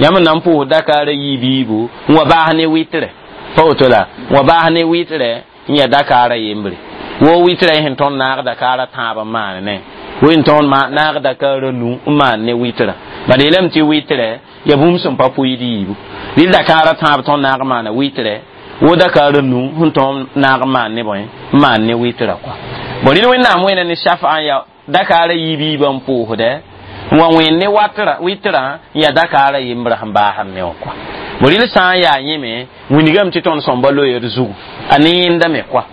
A: yãmb n na n pʋʋsd dakaara yiib yiibu n wa baas ne witrɛ pa woto la n wa baas ne witrɛ n ya dakaara yembre wo witrɛ sẽn tõnd naag dakaara tãab n maan ne wo n tõnd naag dakaara nu n maan ne witrã bala yeelame tɩ witrɛ ya bũmb sẽn pa pʋɩd yiibu rɩl dakaara tãab tõnd naag n maana witrɛ wo dakaara nu sẽn tõnd naag n maan ne bõe n maan ne witrã kɔa bon rɩl wẽnnaam wẽna ne shafa n ya dakaara yiib yiibã n pʋʋsdɛ n wa wẽn ne watra witrã n yaa dakaara yembrã sẽn baasd ne wã kɔa bon rɩl sã n yaa yẽ me wilgame tɩ tõnd sõmba loeer zugu a ne yẽnda me kɔa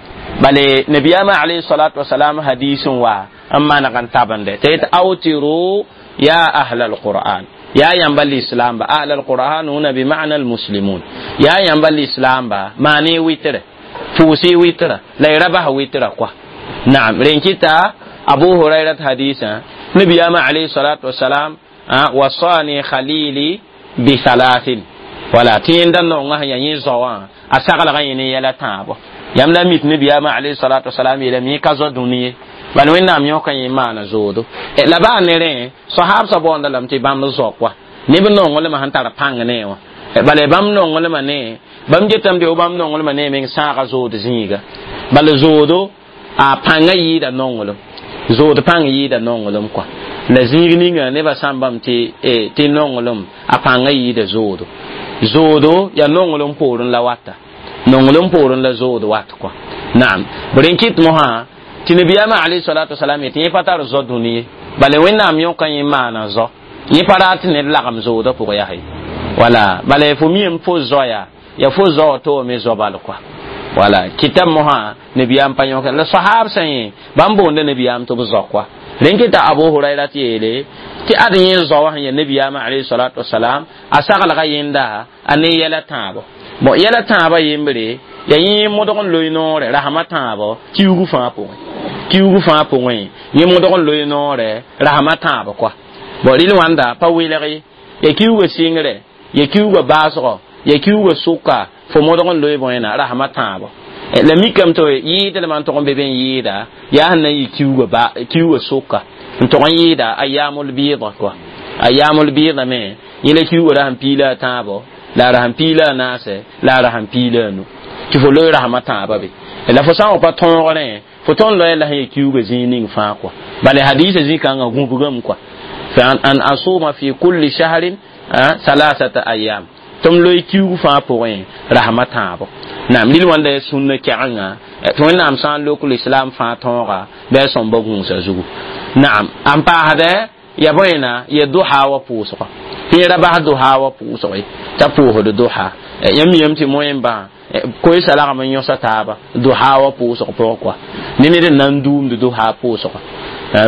A: bale nabiyama alayhi salatu wasalam hadis n wa n maneg n tabende tɩ yet awtiru ya ahla alquran ya yãmba l'islam ba ahla alquran huna bima'na almuslimun ya yãmba l'islam ba maane witre pʋʋsɩ witra la y ra bas witra kɔa naam ren kɩta abu hurairat hadisã nabiyama alayhi salatu wasalam wasani khalili bi thalathin wala tɩ yẽnda nonga sẽn yaa yẽ zao wã a saglgã yẽ ne yɛla tãabo yãmb la mit nabiyama alayhi salatu wasalam yeelame yẽ ka zao dũni ye bal wẽnnaam yõka yẽ maana zoodo la baa ne rẽ soahabsã boonda lame tɩ bãmb zao kɔa neb nonglmã sẽn tar pãng ne wã bala bãmb nonglmã ne bãmb getame tɩ bãmb nonglmã ne meng sãaga zood zĩiga bala zoodo a pãngã yɩɩda nonglem zood pãng yɩɩda nonglem kɔa la zĩig ninga nebã sãmbame tɩ tɩ nonglem a pãngã yɩɩda zoodo zoodo yaa nonglem poorẽ la wata nonglem poorẽ la zood wat kɔa naam b rẽn kɩt mosã tɩ nabiyaamã alayhi salatu wasalam yetɩ yẽ pa tar zao dũni ye bala wẽnnaam yõka yẽ maana zao yẽ pa rat ned lagem zoodã pʋgẽ yaa ye wala bala fo miame fo zoaya ya fo zao to me zao bal kɔa wala kitab mosã nabiyaam pa yõka la sahab sã yẽ bãmb boonda nabiyaam tɩ b zao kɔa rẽn kɩta abu hurayra tɩ yeele tɩ ad yẽ zao wã sẽn ya nabiyaamã alayhi salatu wasalam a saglga yẽnda a ne yɛla tãabo bon yɛla tãabã yembre ya yẽ modg n loe noorɛ rasmã tãabo kiugu fãa pʋgẽ kiugu fãa pʋgẽ yẽ modg n loe noorɛ rasmã tãab kɔa bon rɩl wãnda pa welg ye ya kiuga sɩngrɛ ya kiuga baasgɔ ya kiuga sʋka fo modg n loe bõena rasmã tãabo la mikame tɩ yɩɩdlmã n tʋg n be be n yɩɩda yaa sẽn na n yɩ kiuga ba kiuga sʋka n tʋg n yɩɩda ayamul bɩɩda kɔa ayamul bɩɩda me yẽ la kiuga ra sẽn piila a tãabo la a sẽn piila a naasɛ la a sẽn piila a nu tɩ fo loe rasmã tãabã be la fo sã n wa pa tõogrẽ fo tõnd loe la sẽn ya kiuga zĩig ning fãa kɔa bala hadisa zĩ-kãngã gũbgame kɔa an asuma fi kulli shahrin thalathata ayam tɩ m loe kiug fãa pʋgẽ rasmã tãabo naam rɩl wãnda ya sũnna kɛgenga tɩ wẽnnaam sã n lok l'islam fãa tõoga bɩ a sõmba gũusa zugu naam n paasdɛ ya bõena ya duha wa pʋʋsgɔ tɩ yẽ ra bas duha wa pʋʋsg ye t'a pʋʋsd duha yãmb miyame tɩ moẽmbã koeesa lagm n yõsa taaba duha wa pʋʋsg pʋgẽ kɔa ne ned n na n duumd duha pʋʋsgã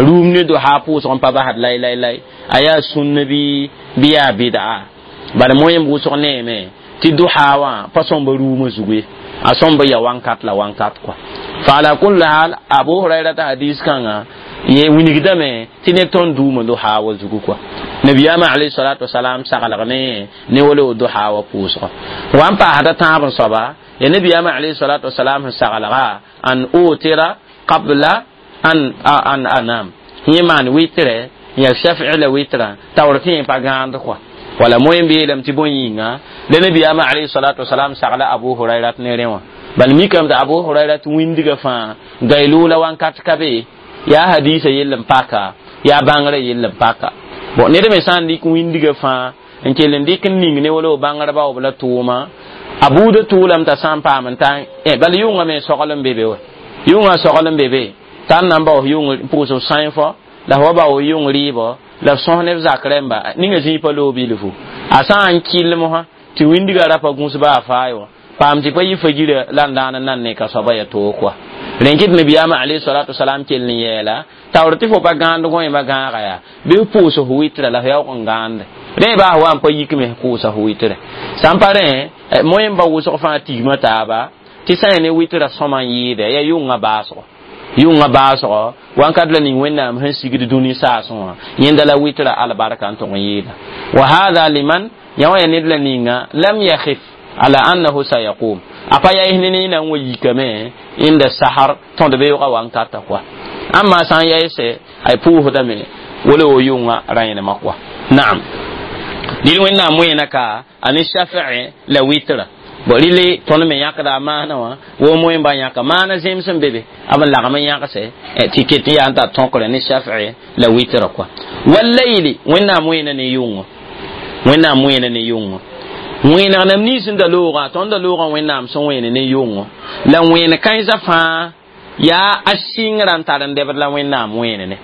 A: rũum ne duha pʋʋsg n pa basd lay lay lay a yaa sũnna bɩ bɩ yaa bɩda bala moẽmb wʋsg neeme tɩ duha wã pa sõmba rũumã zugu ye a sõmba ya wãnkat la wãnkat kɔa fa ala kulli hal abu hurairata hadis kãngã yẽ wilgdame tɩ ned tõnd duumã duha wa zugu kɔa nabiyaamã alayhi salatu wasalam saglg ne ne wala duha wa pʋʋsgɔ wa n paasda tãab n soaba ya nabiyaamã alayhi salatu wasalam sẽn saglga an utira qabla an an anam yẽ maan witrɛ ya shafi'i la witra taoor tɩ yẽ pa gãand kɔa wala moẽmb yeelame tɩ bõe yĩnga la nabiyaamã alayhi salatu wasalam sagla abu hurairat ne rẽ wã bal mikame tɩ abu hurairat wĩndgã fãa gailula wãnkat ka be yaa hadisa yell n paka yaa bãngrã yell n paka bon ned me sã n dɩk wĩndgã fãa n kell n dɩk n ning ne wala bãngrba b la tʋʋma a buudã tʋʋlame t'a sã n paam n tã bala yʋngã me sogl n be be wa yʋngã sogl n be be t'a n na n baoos yʋng pʋʋs sãifo la f wa baoos yʋng rɩɩbɔ la f sõs neb zak rẽmba ninga zĩig pa loog bilfu a sã n kɩl mosã tɩ wĩndgã ra pa gũs baa faay wã paam tɩ pa yɩ fajira la n daan n nan ne ka soaba ya toog kɔa rẽn kɩt nabiyaamã alayhi salatu wasalam kell n yɛɛla taoor tɩ fo pa gãand gõeemã gãaga yaa bɩ f pʋʋs f wɩtra la f yaoog n gãande rẽ baa wa n pa yik me kʋʋsa f wɩtre sã n pa rẽ moẽmba wʋsg fãa tigmã taaba tɩ sã n ne wɩtra sõma n yɩɩda yaa yʋngã baasgo yʋngã baasgo wãnkat la ning wẽnnaam sẽn sigd dũni saasẽ wã yẽnda la wɩtra albarka n tʋg n yɩɩda wa hada liman yã wã ya ned la ninga lam yakhif ala annahu sayaqum a pa yaɩs ne ne na n wa yikame inda sahar tõd beoogã wankata kɔa amma sã n yaɩse ay pʋʋsdame wala wo yʋngã rãenema kɔa naam dɩl wẽnnaam wẽena ka a ne shaf'i la wɩtra bon rɩle tõnd me yãkda a maana wã wo moẽmba yãka maana zẽms n be be b n lagm n yãgse tɩ ket n yaa n tar tõkre ne shaf'i la wɩtra kɔa wallayli wẽnnaam wẽena ne yʋngo wẽnnaam wẽena ne yʋngo wẽneg nam nins n da loogã tõnd da loogã wẽnnaam sẽn wẽene ne yʋngo la wẽen kãensã fãa yaa a sɩngrã n tar n dɛbd la wẽnnaam wẽene ne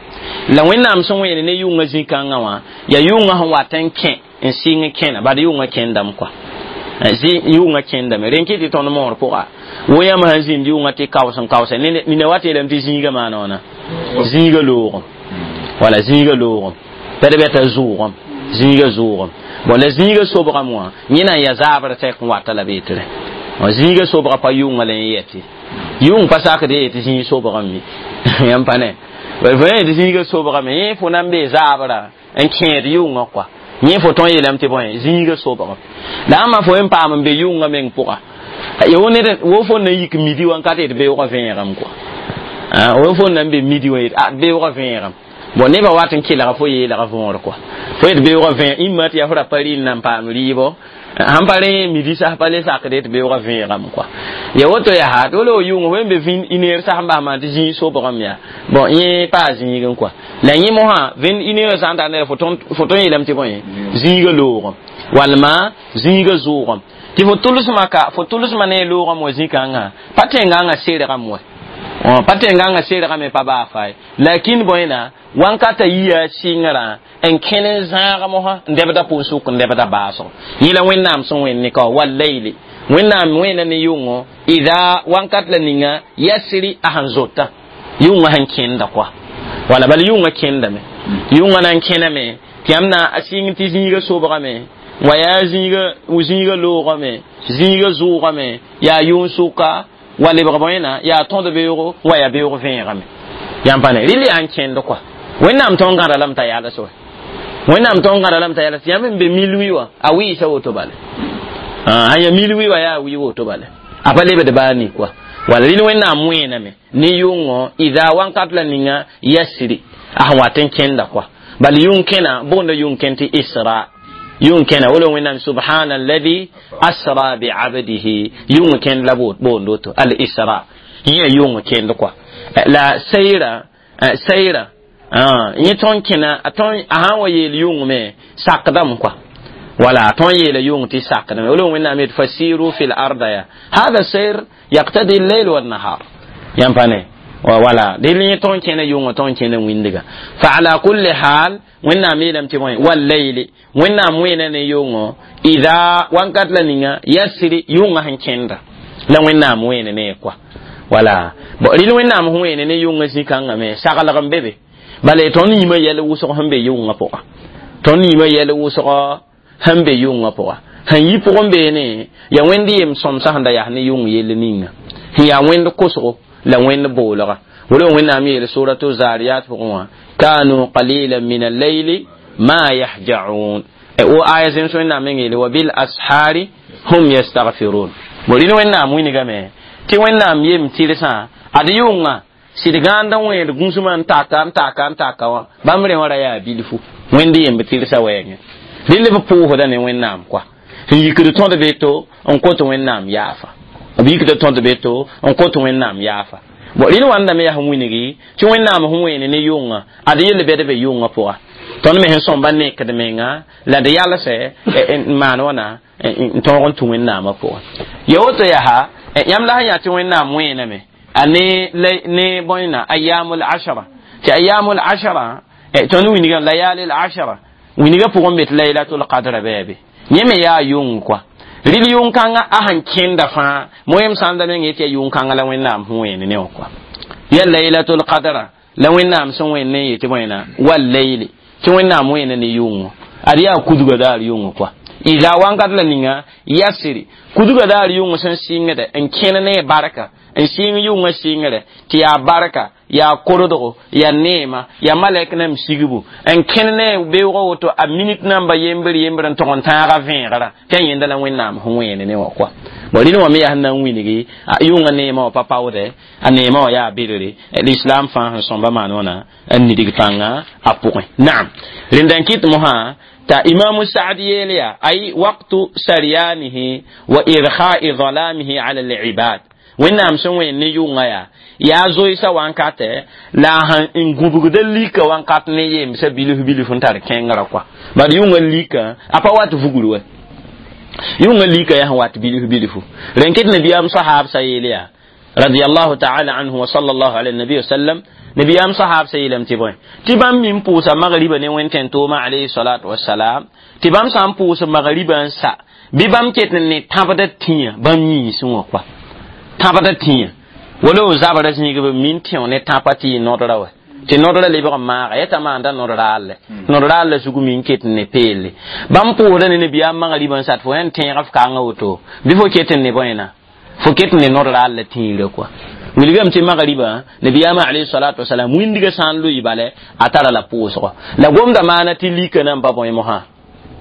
A: la wẽnnaam sẽn wẽene ne yʋngã zĩ-kãngã wã yaa yʋngã sẽn wat n kẽ n sɩng kẽna bad yʋngã kẽndame kɔa yʋngã kẽndame rẽn kɩ tɩ tõnd moor pʋga wo yãmb sãn zĩnd yʋngã tɩ kaoos n kaoose nina wa yeelame tɩ zĩiga maana wãna zĩiga loogem wala zĩiga loogem bɛd bɛ t'a zʋʋgem zĩiga zʋʋgem bon la zĩiga sobgame wã yẽna n yaa zaabr tɛk n wata la be tɩ rẽ zĩiga sobga pa yʋngã la n yɛtɩ yʋng pa sakd ye tɩ zĩig sobgame yãmb pa ne fo yẽ tɩ zĩiga sobgame yẽ fo na n bee zaabrã n kẽed yʋngã kɔa yẽ fo tõe n yeelame tɩ bõe zĩiga sobgame la ãmba fo n paam n be yʋngã meng pʋga wo ned wo fo na yik midi wã n ka tɩ d beoogã vẽegame kɔa wo fo na n be midi wã yet a beoogã vẽegame bon nebã wat n kelga fo yeelga võor kɔa fo yet beoogã vẽeg imã tɩ yaa fo ra pa rɩɩl na n paam rɩɩbɔ sãn pa rẽ midi sas pa le sakd tɩ beoogã vẽegame kɔa ya woto yaa tɩ wala wo yʋng fo n be vĩn ineer sas n bas maan tɩ zĩig sobgame yaa bon yẽ paa zĩigẽ kɔa la yẽ mosã vẽnd ineerã sã n tar ned fo tõe n yeelame tɩ bõe zĩiga loogem walma zĩiga zʋʋgem tɩ fo tʋlsmã ka fo tʋlsmã ne loogame wa zĩ-kãngã pa tẽngãngã sergame wa pa tẽngãngã sergame pa baa faye lakin bõena wankata yia sɩngrã n kẽn n zãag mosã n dɛbda pʋʋs-sʋk n dɛbda baasgo yẽ la wẽnnaam sẽn wẽnd ne ka wallayli wẽnnaam wẽna ne yʋngo ida wankat la ninga yasri a sẽn zota yʋngã sẽn kẽnda kɔa wala bala yʋngã kẽndame yʋngã na n kẽname tɩ yãmb na a sɩng tɩ zĩiga sobgame wa yaa zĩiga zĩiga loogame zĩiga zʋʋgame yaa yʋng-sʋka wa lebg bõena yaa tõd beoogo wa yaa beoog vẽegame yãmb pa ne rɩl yaa n kẽnd kɔa wẽnnaam tõnd gãda lame t'a yals wa wẽnnaam tõnd gãda lame t'a yals yãmb n be mil wi wã a wɩɩsa woto bale a ya mil wi wã yaa wɩ woto bale a pa lebd baa ni kɔa wala rɩl wẽnnaam wẽename ne yʋngo ida wãnkat la ninga yasri a sẽn wat n kẽnda kɔa bal yʋng kẽna boonda yʋng kẽn tɩ isra yʋng kẽna wala wẽnnaam subhana alladhi asra biabdihi yʋng kẽnd la boond woto al isra yẽ yʋng kẽnd kɔa la sayra sayra yẽ tõn kẽna a tõn a sã n wa yeel yʋng me sakdame kɔa wala tõn yeela yʋng tɩ sakdame wala wẽnnaam yet fasiru fi l arda ya hada sayr yaqtadi lleil wannahar yãmb pa ne wala dɩl yẽ tõn kẽna yʋngã tõn kẽna wĩndga fa ala kulli hal wẽnnaam yeelame tɩ bõe wallayli wẽnnaam wẽena ne yʋngo ida wãnkat la ninga yasri yʋngã sẽn kẽnda la wẽnnaam wẽene ne kɔa wala bon rɩl wẽnnaam sẽn wẽene ne yʋngã zĩ-kãngã me saglg n be be bala tõnd yĩmã yɛl wʋsg sẽn be yʋngã pʋga tõnd yĩmã yɛl wʋsg sẽn be yʋngã pʋga sẽn yi pʋgẽ beene yaa wẽnd yem sõmsã sẽn da yaa ne yʋng yell ninga sẽn yaa wẽnd kosgo la wẽnd boolga wala wẽnnaam yeel suratu zariyat pʋgẽ wã kanu qalilan min allayli ma yahjaun wo aya zems wẽnnaam meng yeele wa bil ashari hum yastaghfirun bo rɩl wẽnnaam wilgame tɩ wẽnnaam yem tɩrsã ad yʋngã sɩd gãand n wẽed gũsmã n taka n taka n taka wã bãmb rẽ wã ra yaa bilfu wẽnd yemb tɩrsã wɛɛngẽ rɩl b pʋʋsda ne wẽnnaam kɔa n yikd tõd beto n kot wẽnnaam yaafa b yikda tõd beto n kot wẽnnaam yaafa bon rɩl wãndame yaa sẽn wilgi tɩ wẽnnaam sẽn wẽene ne yʋngã ad yell bɛd be yʋngã pʋga Tõnd me sẽn sõmba nekd menga la d yalsɛ n maan wãna n tõog n tũ wẽnnaamã pʋgẽ. Ya woto yaa yãmb la sẽn yaa tɩ wẽnnaam wẽename a ne ne bõena ayamul ashara tɩ ayamul ashara tõnd wingame layali al ashara wingã pʋgẽ be tɩ laylatul qadra bɩ yẽ me yaa yʋng kɔa rɩl yʋng-kãngã a sẽn kẽnda fãa moyem sãnda meng yetɩ yaa yʋng-kãngã la wẽnnaam sẽn wẽene ne wã kɔa ya laylatul qadra la wẽnnaam sẽn wẽnd ne yetɩ bõena wal layli tɩ wẽnnaam wẽena ne yʋngo ad yaa kudga daar yʋngo kɔa ida wankat la ninga yasiri kudga daar yʋng sẽn sɩngde n kẽne ne barka n sɩng yʋngã sɩngre tɩ yaa barka yaa kordgo yaa neema yaa malɛk nam sigbu n kẽne ne beoogã woto a minit namba yembr yembr n tog n tãaga vẽegrã tɩ a yẽnda la wẽnnaam sẽn wẽene ne wã kɔa bon rɩl wã me yaa sẽn na n wilgi yʋngã neemã wã pa paoodɛ a neemã wã yaa bedre l'islam fãa sẽn sõmba maan wãna n nidg pãnga a pʋgẽ naam rẽnda n kɩt mosã ta imamu sa'd yeelya ay waqtu saryanihi wa irkha'i dhalamihi ala al-ibad wẽnnaam sẽn wẽen ne yʋngã yaa yaa zoeesa wankatɛ la a sẽn n gũbgda lika wankat ne yemsã bilf bilf n tar kẽngrã kɔa bad yʋngã lika a pa wat vugr wa yʋngã lika yaa sẽn wat bilf bilfu rẽn ket nabiyaam sahab sa yeel yaa radiyallahu ta'ala anhu wa sallallahu ala nabi wa sallam nabiyam sahab sa yeelame tɩ bõe tɩ bãmb min pʋʋsa magriba ne wẽn-tẽn-toomã alayhi salatu wasalam tɩ bãmb sã n pʋʋs magriba n sa bɩ bãmb ket n ne tãbda tĩyã bãmb yĩnsẽ wã kɔa tãbda tĩyã wala o zabra zĩig b min tẽo ne tãpa tɩ yɩ nodra wa tɩ nodra lebg n maaga yɛta maanda nod-raal nod-raal la zug min ket n ne peelle bãmb pʋʋsda ne nabiyaam magriba n sat fo yãn tẽega f kanga woto bɩ fo ket n ne bõena fo ket n ne nod-raal la tĩirã kɔa wilgame tɩ magriba nabiyaamã alayhi salatu wasalam wĩndgã sã n loɩ bale a tara la pʋʋsgɔ la gomda maana tɩ lika nan pa bõe mosã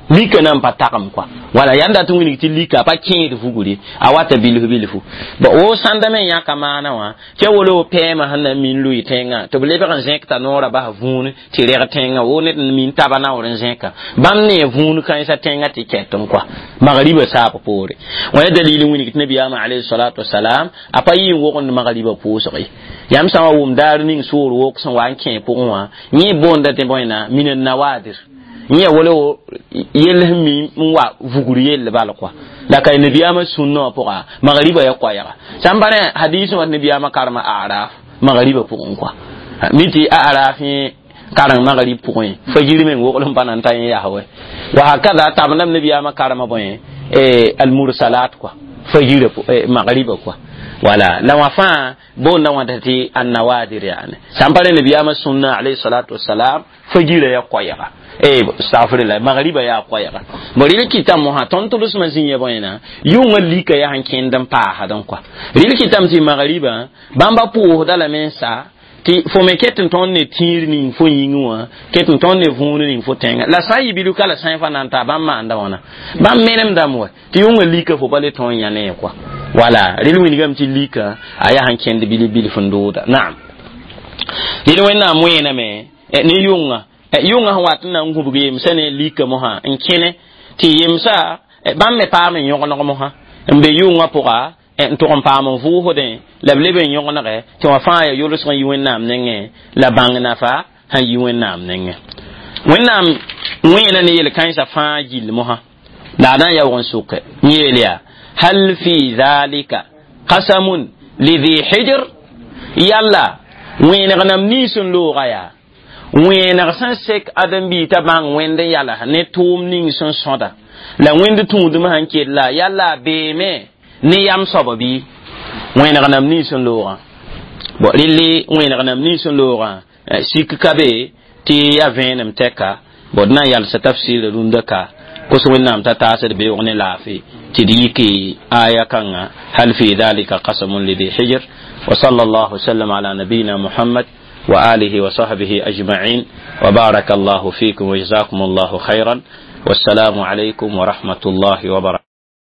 A: lika nan pa tagem kɔa wala yãn dat n wilg tɩ lika a pa kẽed vugre a wata bilf bilfu bõ wo sãnda me yãka maana wã tɩ a wolo pɛɛmã sẽn na n min loɩ tẽngã tɩ b lebg n zẽk t'a noorã bas vũun tɩ reg tẽngã wo ned n min taba naoor n zẽka bãmb ne vũun kãensã tẽngã tɩ kɛt n kɔa magriba saab poore wã ya dalil n wilg tɩ nabiyaamã alayhi salatu wasalam a pa yɩ n wogend magriba pʋʋsg ye yãmb sã wa wʋm daar ning soor wok sẽn wa n kẽ pʋgẽ wã yẽ boonda tɩ bõena min nawadir yẽ wala yell sẽn mi n wa vugr yell bal kɔa la ka nabiyaamã sũnnã wã pʋga magriba ya koɛɛga sã n pa rẽ hadis wã nabiyaamã karema araf magriba pʋgẽ kɔa mi tɩ a araf yẽ kareng magrib pʋgẽ fajir meng wogl n pa na n ta yẽ yaa wɛ wa hakada tabendame nabiyaamã karema bõe almursalat kɔa fajira magriba kɔa wala la wã fãa boonda wãta tɩ annawadir yaane sã n pa rẽ nabiyaamã sũnnã alayhi salatu wasalam fajira ya koɛɛga eh astaghfirullah magriba ya koɛɛga bo rɩl kɩtame mosã tõnd tʋlsmã zĩ ya bõena yʋngã lika yaa sẽn kẽnd n paasd n kɔa rɩl kɩtame tɩ magriba bãmba pʋʋsda lame n sa tɩ fo me ket n tõnd ne tĩir ning fo yĩngẽ wã ket n tõnd ne vũun ning fo tẽngã la sã n yɩ bilf ka la sã n fa na n taa bãmb maanda wãna bãmb menemdame wa tɩ yʋngã lika fo pa le tõe n yã ne kɔa wala rɩl wilgame tɩ lika a yaa sẽn kẽnd bilf bilf n dooda naam rɩl wẽnnaam wẽename ne yʋngã yʋngã sẽn wat n na n gũbg yemsã ne lika mosã n kẽne tɩ yemsa bãmb me paam n yõgeneg mosã n be yʋngã pʋga n tʋg n paam n vʋʋsdẽ la b leb n yõgenege tɩ wã fãa ya yolsg n yi wẽnnaam nengẽ la bãng nafa sẽn yi wẽnnaam nengẽ wẽnnaam wẽena ne yel-kãensã fãa gill mosã la a na n yaoog n sʋke n yeel yaa hal fi dhalika qasamun lidhi hijr yalla wẽeneg nam nins n looga yaa wẽeneg sẽn sek ãdem-biig t'a bãng wẽnd n yals ne tʋʋm ning sẽn sõda la wẽnd tũudmã sẽn kell la yalla a beeme ne yam soaba bɩ wẽeneg nam nins n loogã bon rɩlli wẽeneg nam nins n loogã sik ka be tɩ ya vẽenem tɛka bon d na n yalsa tafsɩɩrã rũndã ka kos wẽnnaam t'a taasd beoog ne laafɩ tɩ d yiki aya kãngã hal fi dhalika qasamun lidi hijr wa sallallahu wasallam ala nabiyina muhammad وآله وصحبه أجمعين وبارك الله فيكم وجزاكم الله خيرا والسلام عليكم ورحمة الله وبركاته.